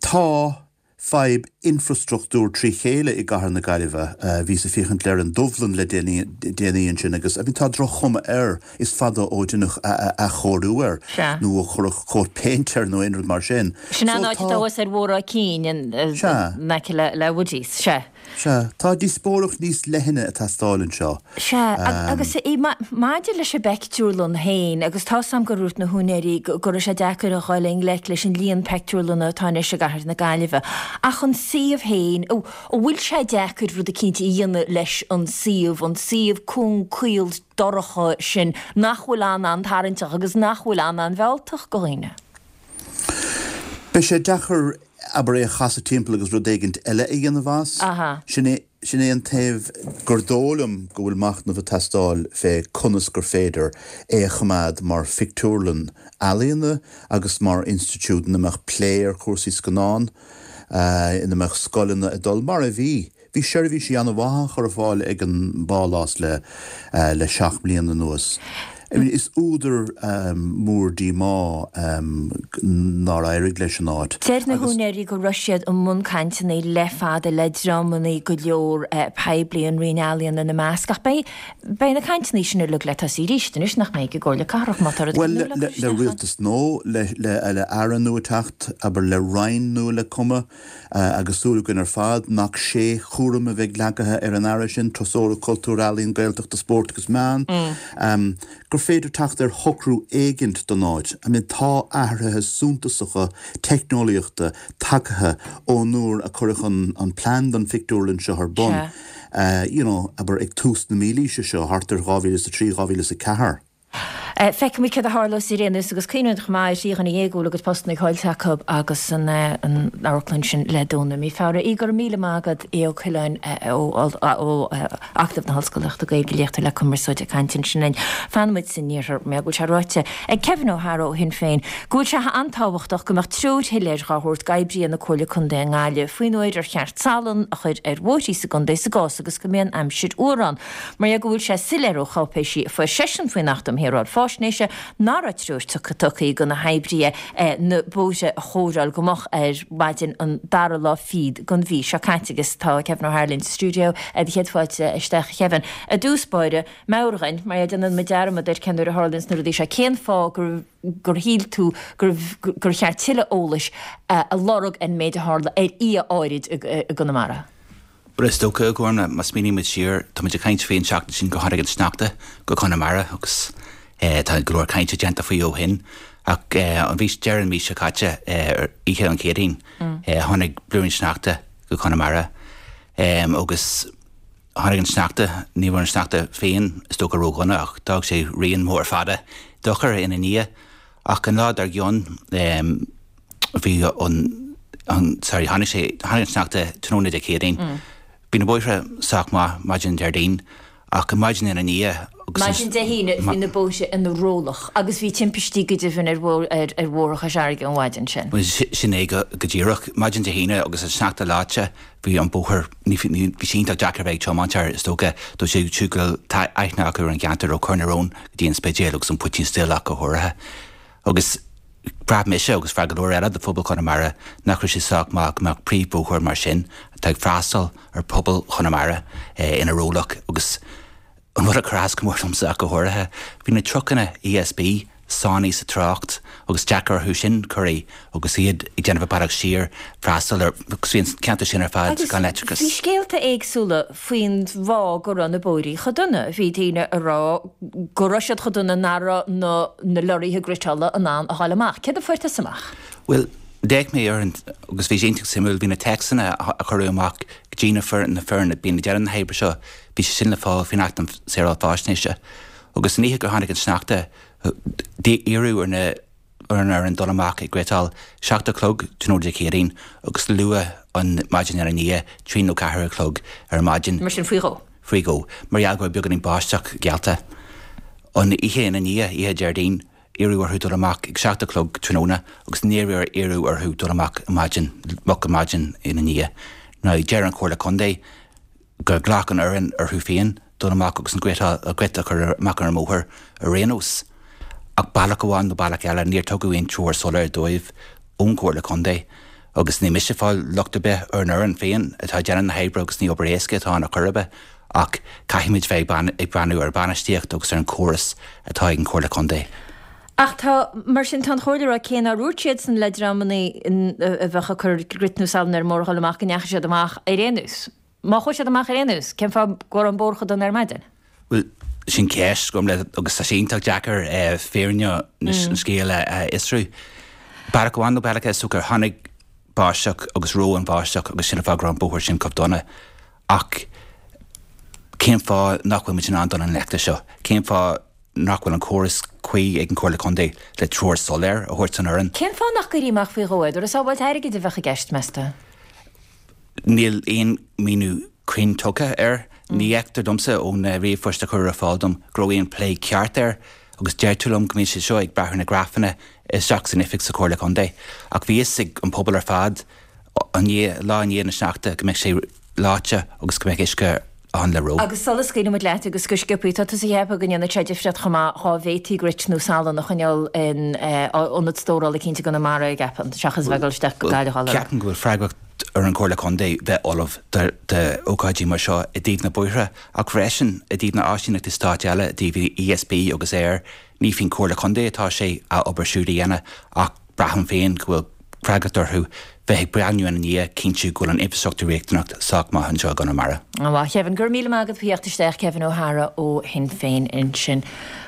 Speaker 12: tá. fadhb infreastruchtúir trí chéile i gcathair na Gaillimhe. Bhíos ag féachaint ar an Dubhlann le déanaí ansin agus I mean tá droch-chuma air, is fada ó deineadh athchóiriú air nó ó cuireadh cóat péinte air nó aon rud mar sin.
Speaker 1: Sin an áit atá thuas ar Bhóthar Áth Cinn in aice le Woodies. Sea.
Speaker 12: Sea, tá díospóireacht níos leithne ag teastáil anseo.
Speaker 1: Sea, agus maidir leis an bpeictiúrlann féin, agus tá 's a'm gur dhúirt na húinéirí go raibh sé deacair a dhul i ngleic leis an líon peictiúrlanna atá anois i gcathair na Gaillimhe, ach an suíomh féin, an bhfuil sé deacair rud eicínt a dhéanamh leis an suíomh, an suíomh cúng caol dorcha sin nach bhfuil an-an-tarraingteach agus nach bhfuil an-an-mhealltach go dhaoine?
Speaker 12: Beidh sé deacair abair é a chasadh timpeall agus rud éigint eile a dhéanamh as. Sin é, sin é an taobh gur dóigh liom go bhfuil machnamh ag teastáil fé conas gur féidir é a choimeád mar phictiúrlann ealaíona agus mar institiúid ina mbeadh plé ar chúrsaí scannán, ina mbeadh scoileanna ag dul, mar a bhí. Bhí seirbhísí an-mhaith á chur ar fáil ag an bPálás le le 7 mbliana anuas. Is údar mór díomá nár éirigh leis an áit
Speaker 1: Deir na húinéirí go raibh siad i mbun cainteanna le fada le dreamanna go leor poiblí, an Roinn Ealaíon ina measc, ach beidh beidh na cainteanna sin uilig le tosaí arís anois, nach mbeidh, ag an gComhairle Cathrach, má tá rud
Speaker 12: Bhuel, le le rialtas nua, le le aire nua ag teacht, abair le roinn nua le cumadh. Agus súil againn ar fad nach sé chúram a bheidh leagtha ar an Aire sin, Turasóireacht, Cultúr, Ealaíon, Gaeltachta, Spóirt agus Meán, gur féidir teacht ar shocrú éigint don áit. I mean tá athruithe suntasacha teicneolaíochta tagtha ón uair a cuireadh an plean don phictiúrlann seo ar bun, you know, abair ag tús na mílaoise seo, thart ar 2003, 2004.
Speaker 1: Feicfimid céard a tharlós ar aon nós agus cuimhnímid chomh maith ar thrí dhuine dhéag a bhfuil a gcuid postanna caillte acu agus an amharclann sin le dúnadh i mí Feabhra. Aodh, go raibh míle maith agat, Aodh Ó Coileáin ó Acadamh na hOllscolaíochta Gaeilge, léachtóir le cumarsáid ag caint ansin linn. Fanfaimid san iarthar mar go bhfuil sé ráite ag Kevin O'Hara ó Shinn Féin go bhfuil sé an-tábhachtach go mbeadh treoir shoiléir dhá thabhairt d'oibrithe na Comhairle Contae i nGaillimh faoin uair ar cheart salann a chur ar bhóithrí sa gcontae sa gcás agus go mbíonn aimsir fhuar ann. Mar dhea go bhfuil sé soiléir ó cháipéisí a fuair seisean faoin Acht um Shaoráil Faisnéise nach raibh treoir tugtha do na hoibrithe na bóithre a chóireáil go moch ar maidin an dara lá fichead den mhí seo caite agus tá Kevin O'Hara linn sa stiúideo. Do chéad fáilte isteach a Kevin. I dtús báire, meabhraigh dhúinn, mar dhea déanann muid dearmad ar cén uair a tharlaíonns na rudaí seo, cén fáth gur gur shíl tú gur cheart tuilleadh eolais a lorg ar an méid a tharla ar oíche áirid i gConamara?
Speaker 13: Bhuel, is dócha, a Ghormfhlaith, má smaoiníonn muid siar, tá muid ag caint faoi an tseachtain sin gur tháinig an sneachta go Conamara agus tá go leor cainte déanta faoi ó shin. Ach an mhí, deireadh an mhí seo caite, ar oíche an Chéadaoin, tháinig blúirín sneachta go Conamara agus tháinig an sneachta, ní raibh an sneachta féin is dócha ródhona ach d'fhág sé rian mór fada dochair ina ndiaidh. Ach an lá dár gcionn, bhí an, sorry, tháinig sé, tháinig an sneachta tráthnóna Dé Céadaoin. Bhí na bóithre sách maith maidin Déardaoin ach an maidin ina ndiaidh
Speaker 1: agus an. Maidin Dé hAoine bhí na bóithre ina rollach agus bhí timpistí go deimhin ar ar Bhóthar Chois Fharraige an mhaidin sin.
Speaker 13: Bhuel sin é go díreach. Maidin Dé hAoine agus an sneachta leáite bhí an bóthar, ní, bhí sé iontach deacair a bheith ag tiomáint air is dócha dóibh siúd go bhfuil aithne acu ar an gceantar ó Chorr na Rón go dtí an Spidéal agus an Poitín Stil ach go háirithe. Agus bhraith mise, agus bhraith go leor eile de phobal Chonamara, nach raibh sé sách maith go mbeadh príomhbhóthar mar sin, atá ag freastal ar phobal Chonamara, ina rollach. Agus an rud a chuir as go mór domsa ach go háirithe, bhí na trucanna ESB sáinnithe sa trácht agus deacair orthu sin corraí agus iad ag déanamh a bealach siar freastal ar, agus bhí an ceantar sin ar fad gan leictreachas.
Speaker 1: Bhí scéalta éagsúla faoin bhfáth go raibh na bóithrí chomh dona. Bhí daoine a rá go raibh siad chomh dona nach raibh na na lorraithe griotála in ann a ghabháil amach. Céard a fuair tusa amach?
Speaker 13: Bhuel, d'fhéach mé ar an, agus bhí sé iontach suimiúil, bhí na téacsanna a cuireadh amach go dtí na foireann, na foireann a bhíonn ag déanamh na hoibre seo, bhí sé sin le fáil faoin Acht um Shaoráil Faisnéise. Agus an oíche gur tháinig an sneachta, iarradh ar na, ar an fhoireann dul amach ag griotáil 7 a chlog tráthnóna Dé Céadaoin agus luath an maidin ina ndiaidh, 3 nó 4 a chlog ar maidin.
Speaker 1: Mar sin faoi dhó.
Speaker 13: Faoi dhó. Mar gheall go raibh beagáinín báisteach geallta. An oíche ina ndiaidh, oíche Déardaoin, iarradh orthu dul amach ag 7 a chlog tráthnóna agus níor iarradh orthu dul amach maidin, moch ar maidin ina ndiaidh. Now deir an Chomhairle Contae gur ghlac an fhoireann orthu féin dul amach agus an grit a chur amach ar an mbóthar ar aon nós. Ach bealach amháin nó bealach eile, níor tugadh aon treoir soiléir dóibh ón gComhairle Contae. Agus ní miste fáil locht ar bith ar an fhoireann féin atá ag déanamh na hoibre agus ní obair éasca atá ann ar chor ar bith ach caithfimid bheith ag breathnú ar bhainistíocht agus ar an chóras atá ag an Chomhairle Contae.
Speaker 1: Ach tá, mar sin, tá an Chomhairle ag rá cé nár dhúirt siadsan le dreamanna a bheadh ag cur grit nó salann ar an mbóthar a dhul amach go ndeachaigh siad amach ar aon nós. Má chuaigh siad amach ar aon nós, cén fáth go raibh an bóthar chomh dona ar maidin?
Speaker 13: Bhuel, sin ceist, Gormfhlaith, agus tá sé iontach deacair fírinne an scéil a fhiosrú. Bealach amháin nó bealach eile, is dócha, tháinig báisteach agus reo an bháisteach agus sin an fáth go raibh an bóthar sin chomh dona. Ach cén fáth nach bhfuil muid in ann dul i ngleic leis seo? Cén fáth nach bhfuil an córas cuí ag an Chomhairle Contae le treoir soiléir a thabhairt don fhoireann?
Speaker 1: Cén fáth nach gcuirí amach faoi dhó é? An sábháilt airgid a bheadh i gceist, meas tú?
Speaker 13: Níl aon mhíniú cruinn tugtha air. Ní fheictear domsa ó na ríomhphoist a cuireadh ar fáil dom go raibh aon plé ceart air agus deirtear liom go mbíonn siad seo ag brath ar na grafanna isteach san oifig sa Chomhairle Contae. Ach bhí fhios ag an pobal ar fad an lá i ndiaidh na sneachta go mbeadh sé leáite agus go mbeadh uisce ann le reo.
Speaker 1: Agus sula scaoileann muid leat agus go sciobthaí, tá tusa ag ceapadh go ndéanfadh sé difríocht chomh maith dhá bhféadfaí grit nó salann a choinneáil in ionad stórála eicínt i gConamara, ceapaim, seachas a bheith ag dul isteach go Gaillimh á lorg.
Speaker 13: Ceapaim go bhfuil freagracht ar an Chomhairle Contae bheith ullamh d'ócáidí mar seo i dtaobh na bóithre ach freisin i dtaobh na áisíneachtaí stáit eile, i dtaobh ESB agus Eir. Ní faoin Chomhairle Contae atá sé a obair siúd a dhéanamh ach braithim féin go bhfuil freagracht orthu bheith ag breathnú ina ndiaidh, cinntiú go bhfuil an infreastruchtúr riachtanach sách maith anseo i gConamara.
Speaker 1: An-mhaith, Kevin. Go raibh míle maith agat faoi theacht isteach, Kevin O'Hara ó Shinn Féin ansin.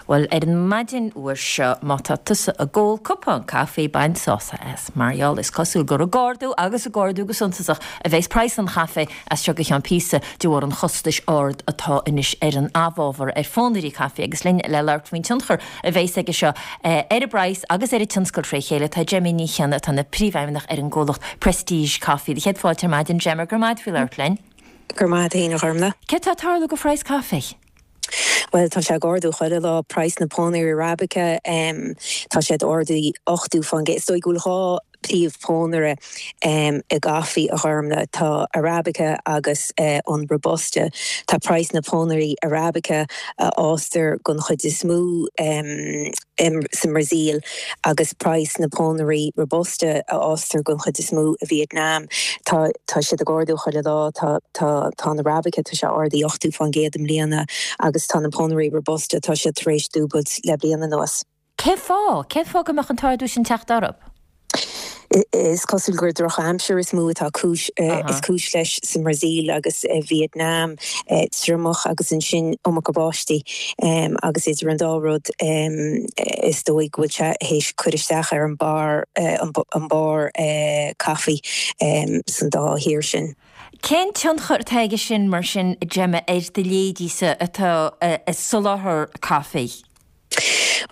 Speaker 1: Bhuel, ar an maidin fhuar seo, má tá tusa ag ól cupán caife, bain sásamh as. Mar gheall, is cosúil gur ag ardú, agus ag ardú go suntasach, a bheas praghas an chaife as seo go ceann píosa, de bharr an chostais ard atá anois ar an amhábhar, ar phónairí caife. Agus linn le labhairt faoin tionchar a bheas aige seo ar an bpraghas agus ar an tionscal tré chéile, tá Gemma Ní Chionnaith, atá ina príomhfheidhmeannach ar an gcomhlacht Prestige Coffee. Do chéad fáilte ar maidin, Gemma, go raibh maith agat faoi labhairt linn.
Speaker 14: Go raibh maith agat féin, a Ghormlaith.
Speaker 1: Céard tá ag tarlú go phraghas caife?
Speaker 14: Bhuel, tá sé ag ardú chuile lá. Praghas na pónairí Arabica, tá sé ag ardú 80%. Is dóigh go bhfuil 2 príomh pónaire i gcaife, a Ghormlaith. Tá Arabica agus an Robusta. Tá praghas na pónairí Arabica, a fhástar den chuid is mó sa mBrasaíl, agus praghas na pónairí Robusta, a fhástar den chuid is mó i Vietnam, tá tá siad ag ardú chuile lá. Tá tá tá an Arabica, tá sé ardaithe 80% i mbliana agus tá na pónairí Robusta, tá siad tar éis dúbailt le bliain anuas.
Speaker 1: Cén fáth? Cén fáth go mbeadh an t-ardú sin teacht orthu?
Speaker 14: Is cosúil gur drochaimsir is mó atá cúis is cúis leis sa mBrasaíl agus i Vietnam, triomach agus ansin iomarca báistí agus idir an dá rud is dóigh go bhfuil sé théis cur isteach ar an barr an barr caife san dá thír sin.
Speaker 1: Cén tionchar atá aige sin mar sin, Gemma, ar do leithéidíse atá ag soláthar caife?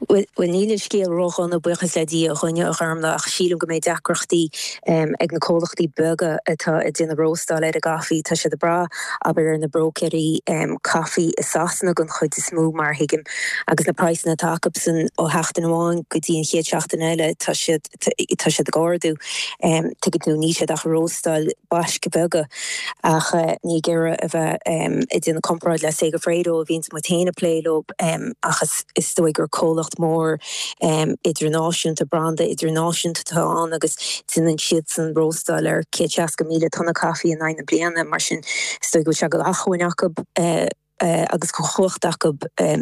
Speaker 14: Bhuel, níl an scéal ródhona, buíochas le Dia againne, a Ghormlaith, ach sílim go mbeidh deacrachtaí ag na comhlachtaí beaga atá ag déanamh róstáil ar an gcaife. Tá siad ag brath, abair, ar na bróicéirí caife i Sasana den chuid is mó, mar a thuigim, agus na praghsanna atá acusan ó sheachtain amháin go dtí an chéad seachtain eile, tá siad, tá siad ag ardú. Tuigeann tú, níl siad ach ag róstáil baisc bheaga ach ní ag iarraidh a bheith ag déanamh comparáid le Segafredo a bhíonns muid féin ag plé leo ach is dóigh gur comhlacht mór idirnáisiúnta, branda idirnáisiúnta atá ann agus déanann siadsan róstáil ar 160,000 tonna caife in aghaidh na bliana mar sin is dóigh go bhfuil sé d'acmhainn acu agus de chumhacht acu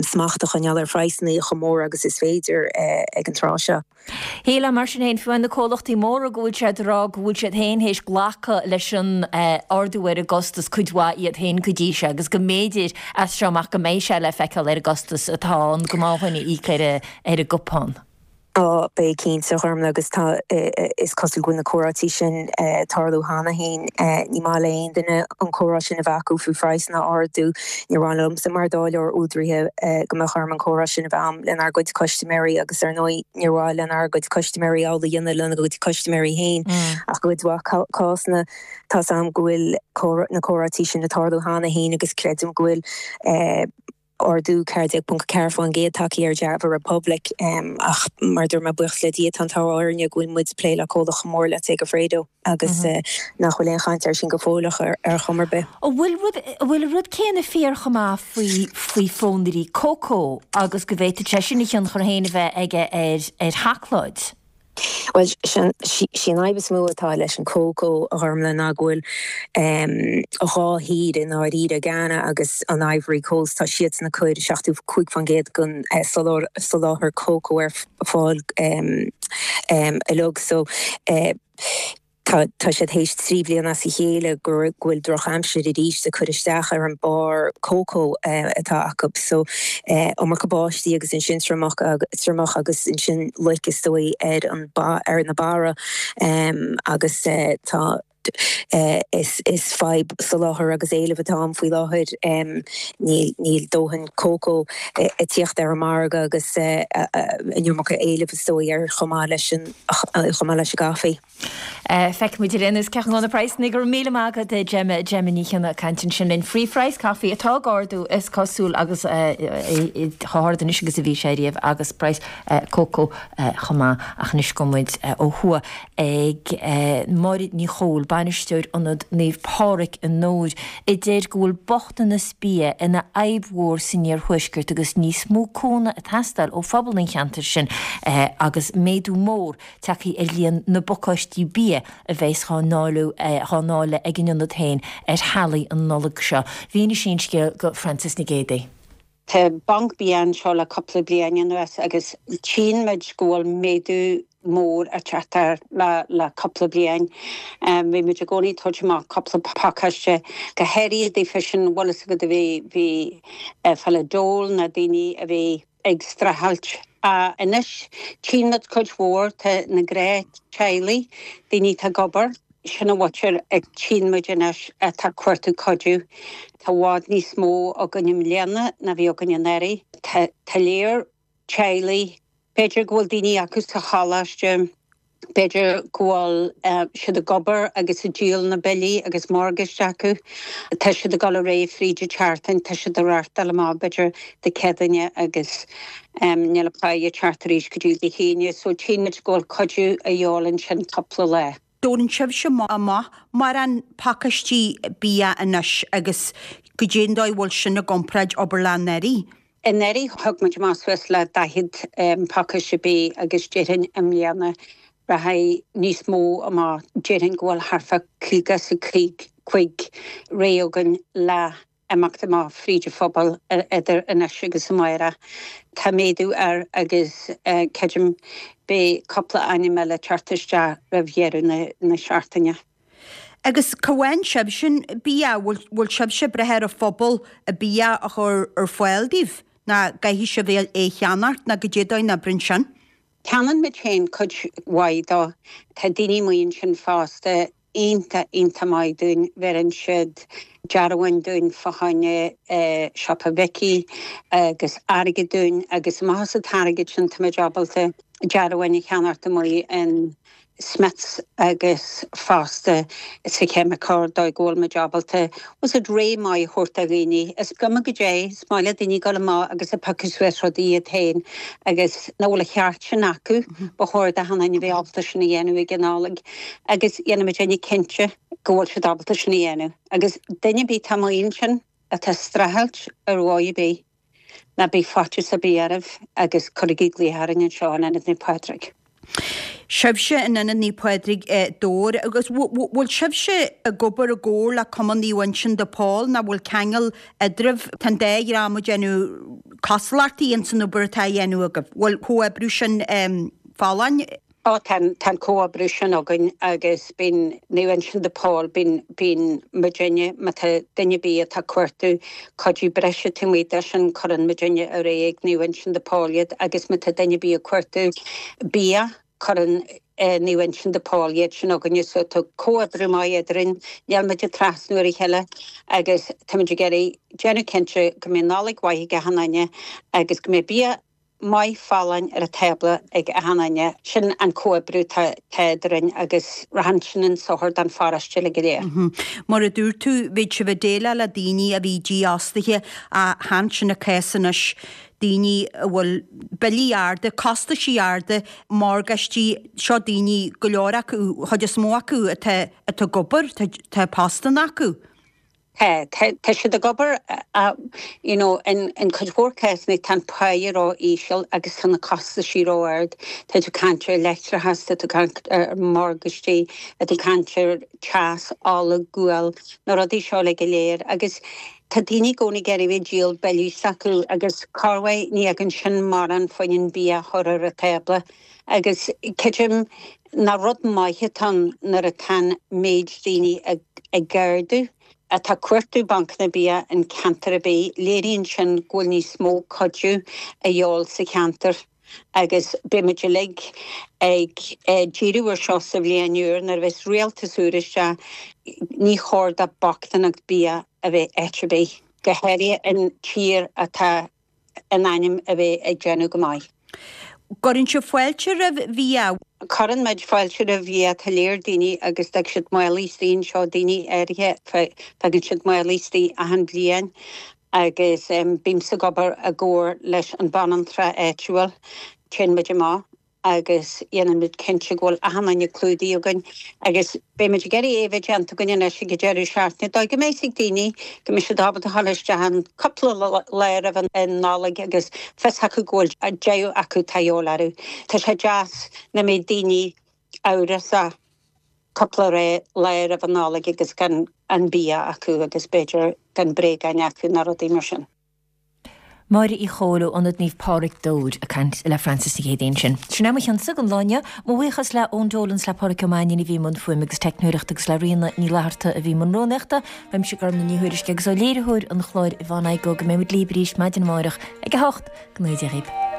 Speaker 14: smacht a choinneáil ar phraghsanna chomh mór agus is féidir ag an tráth seo.
Speaker 1: Shílfeá, mar sin féin, fiú amháin na comhlachtaí móra go bhfuil siad ag rá go bhfuil siad féin théis glacadh leis an ardú ar an gcostas, cuid mhaith iad féin go dtí seo, agus go mb'fhéidir as seo amach go mbeidh sé le feiceáil ar an gcostas atá an gnáthdhuine a íoc ar an gcupán.
Speaker 14: Á, beidh cinnte, a Ghormlaith, agus tá, is cosúil go bhfuil na comhráití sin ag tarlú cheana féin. Ní maith le aon duine an comhrá sin a bheith acu faoi phraghsanna a ardú. Níor mhaith liomsa mar dáileoir údaraithe go mbeadh orm an comhrá sin a bheith a'm lenár gcuid custaiméirí agus ar ndóigh níor mhaith lenár gcuid custaiméirí amhlaidh a dhéanamh lena gcuid custaiméirí féin. Ach i gcuid mhaith cásanna tá's a'm go bhfuil na comhráití sin ag tarlú cheana féin agus creidim go bhfuil ardú 14.4% tagtha ar Java Republic ach mar a dúirt mé, buíochas le Dia, tá an t-ádh orainne go bhfuil muid ag plé le comhlacht chomh mór le Segafredo agus nach bhfuil aon chaint air sin go fóill ach ar chuma ar bith.
Speaker 1: An bhfuil rud, an bhfuil an rud céanna fíor chomh maith faoi, faoi phónairí cócó agus go bhféadfadh sé sin a thionchar féin a bheith aige ar, ar sheacláid?
Speaker 14: Bhuel, sí an fhadhb is mó atá leis an cócó, a Ghormlaith, ná go bhfuil 2 thír i ndáiríre, Ghana agus an Ivory Coast, tá siadsan ag cur 75% den soláthar cócó ar fáil uilig. So. Tá tá siad théis 3 bhliain as a chéile go bhfuil drochaimsir arís ag cur isteach ar an barr cócó atá acu. So iomarca báistí agus ansin triomach triomach agus ansin loic is dóigh ar an ar na barra agus tá is is fadhb soláthair agus éilimh atá ann faoi láthair. Níl níl dóthain cócó ag tíocht ar an margadh agus an iomarca éilimh is dóigh air chomh maith leis an chomh maith leis an gcaife.
Speaker 1: Feicfidh muid ar aon nós cén chaoi a ngabhann na praghsanna. Go raibh míle maith agat Gemma, Gemma Ní Chionnaith ag caint ansin linn faoi phraghas caife atá ag ardú is cosúil agus chomh hard anois agus a bhí sé riamh agus praghas cócó chomh maith. Ach anois gabhfaidh muid ó thuaidh ag Máire Ní Chomhaill, bainisteoir Ionad Naomh Pádraig i nDobhair, a deir go bhfuil bochtanas bia ina fhadhb mhór san iarthuaisceart agus níos mó cúnamh ag teastáil ó phobal an cheantair sin agus méadú mór tagtha ar líon na bpacáistí bia a bheas á ndáileadh ag an ionad féin ar theaghlaigh an Nollaig seo. Mhínigh sí an scéal do Frances Nic Géadaigh.
Speaker 15: Tá banc bia anseo le cúpla bliain anuas agus tchíonn muid go bhfuil méadú mór ag teacht air le cúpla bliain. Bhí muid i gcónaí ag tabhairt amach cúpla pacáiste, go háirithe daofa sin, bhfuil fhios agat, a bhí ag fáil an dole nó daoine a bhí. ag streachailt. Anois tchíonn muid cuid mhór de na gnáth-teaghlaigh, daoine atá ag obair, sin an mhuintir a tchíonn muid anois atá ag cuartú cuidiú. Tá i bhfad níos mó againn i mbliana ná bhí againn anuraidh. Tá léir teaghlaigh, b'fhéidir go bhfuil daoine acu sa choláiste, b'fhéidir go bhfuil siad ag obair agus ag díol na billí agus morgáiste acu. Tá siad ag dul ar aghaidh fríd an tseachtain, tá siad ag reáchtáil amach b'fhéidir Dé Céadaoine agus níl an pá ag teacht arís go dtí Dé hAoine. So tchíonn muid go bhfuil cuidiú a dhíobháil ansin cúpla lá.
Speaker 16: dtabharann sibhse amach mórán pacáistí bia anois agus goidé an dóigh a bhfuil sin i gcomparáid abair le anuraidh.
Speaker 15: Anuraidh thug muid amach suas le 40 pacáiste bídh agus déarfainn i mbliana rachaidh níos mó amach, déarfainn go bhfuil thart fá 55 réidh againn le imeacht amach fríd an phobal idir anois agus amárach. Tá méadú air agus creidim beidh cúpla ainm eile ag teacht isteach roimh dheireadh na seachtaine.
Speaker 16: Agus cá bhfaigheann sibhse bia? Bhfuil sibhse ag brath ar an phobal an bia a chur ar fáil daoibh? Nó an gcaithfidh sibh é a cheannacht nó goidé an dóigh a n-oibríonn sin?
Speaker 15: Ceannaíonn muid féin cuid mhaith dó. Tá daoine amuigh ansin fosta iontach, iontach maith dúinn. Bheireann siad dearbháin dúinn fá choinne siopa Mhicí agus airgead dúinn agus amach as an t-airgead sin tá muid ábalta dearbháin a cheannacht amuigh in Smiths agus fosta sa cheimiceoir dóigh go bhfuil muid ábalta was it rogha maith a thabhairt do dhaoine. Is cuma goidé, is maith le daoine dul amach agus ag piocadh suas rudaí iad féin agus nach bhfuil an cheart sin acu, ba chóir d'achan duine a bheith ábalta sin a dhéanamh ag an Nollaig agus déanfaidh muidne cinnte go bhfuil siad ábalta sin a dhéanamh. Agus duine ar bith atá amuigh ansin atá ag streachailt ar dhóigh ar bith, Ná bíodh faitíos ar bith oraibh agus cuirigí glaoch orainn anseo in Ionad Naomh Pádraig.
Speaker 16: Sibhse in Ionad Naomh Pádraig i Dobhar agus bhfuil sibhse ag obair i gcomhar le Cumann Naomh Uinseann de Pól nó bhfuil ceangal eadraibh? Tá an dá dhream ag déanamh cosúlachtaí ins an obair atá á dhéanamh agaibh. Bhfuil comhoibriú sin folláin?
Speaker 15: Ó tá, tá an comhoibriú sin againn agus bíonn Naomh Uinseann de Pól, bíonn, bíonn muidinne, má tá duine ar bith atá ag cuartú cuidiú breise taobh amuigh de sin, cuireann muidinne ar aghaidh ag Naomh Uinseann de Pól iad agus má tá duine ar bith ag cuartú bia, cuireann Naomh Uinseann de Pól iad sin chugainne. So tá comhoibriú maith eadrainn, níl muid ag trasnú ar a chéile agus tá muid ag iarraidh déanamh cinnte go mbeidh Nollaig mhaith ag achan duine agus go mbeidh bia maith folláin ar an tábla ag achan duine. Sin an comhoibriú atá eadrainn agus rachann sin chun sochair don pharóiste uilig go léir.
Speaker 16: Mar a dúirt tú, bhíodh sibh ag déileáil le daoine a bhí dífhostaithe ach chan sin an cás anois, daoine a bhfuil billí arda, costaisí arda, morgáistí, seo daoine, go leor acu, an chuid is mó acu atá ag obair, tá postanna acu.
Speaker 15: Tá, tá siad ag obair you know in cuid mhór cásanna tá an páighe ró-íseal agus tá na costaisí ró-ard. Tá tú ag caint ar leictreachas, tá tú ag caint ar morgáistí, tá tú ag caint ar teas, ola, gual, na rudaí seo uilig go léir agus tá daoine i gcónaí ag iarraidh bheith ag díol billí s'acu agus corruair ní fhaigheann sin mórán fá choinne an bia a chur ar an tábla agus creidim nach rud maith atá ann nuair atá an méid daoine ag ardú atá ag cuartú bancanna bia in ceantar ar bith, léiríonn sin go bhfuil níos mó cuidiú a dhíobháil sa cheantar agus beidh muid uilig ag díriú ar seo sa bhliain úr nuair a bheas rialtas úr isteach, ní chóir do bochtaineacht bia a bheith áit ar bith, go háirithe in tír atá in ainm a bheith ag déanamh go maith.
Speaker 16: Cuireann sibh fáilte roimh bhia.
Speaker 15: Cuireann muid fáilte roimh bhia. Tá léir daoine agus d'fhág siad málaí istigh anseo, daoine áirithe, fágann siad málaí istigh achan bhliain agus bímse ag obair i gcomhar leis an banaltra áitiúil. Téann muid amach agus déanann muid cinnte go bhfuil achan duine clúdaithe againn agus beidh muid ag iarraidh é a bheith déanta againn anois ag an deireadh seachtaine dóigh go mbeidh fhios ag daoine go mbeidh siad ábalta a dhul isteach an cúpla lá roimh an Nollaig agus fios acu go bhfuil deireadh acu tá a dhíobháil orthu. Tá sé deas nach mbeidh daoine amhrasach cúpla lá roimh an Nollaig agus gan an bia acu agus b'fhéidir gan bréagáin acu nó rudaí mar sin.
Speaker 1: Máire Uí Chomhaill ó Ionad Naomh Pádraig Dobhair ag caint le Frances Nic Géadaigh ansin. Sin é mo chionsa don lá inniu. Mo bhuíochas le Eoin Dolan 's le Pádraic Ó Mainnín a bhí i mbun fuaime agus teicneoireachta agus le Ríona Ní Fhlatharta a bhí i mbun rúnaíochta. Uaimse Gormlaith Ní Thuairisg agus ó léiritheoir an chláir Yvonne Igoe go mbeidh muid libh arís maidin amárach ag 8. Go ngnóthaí Dia dhaoibh.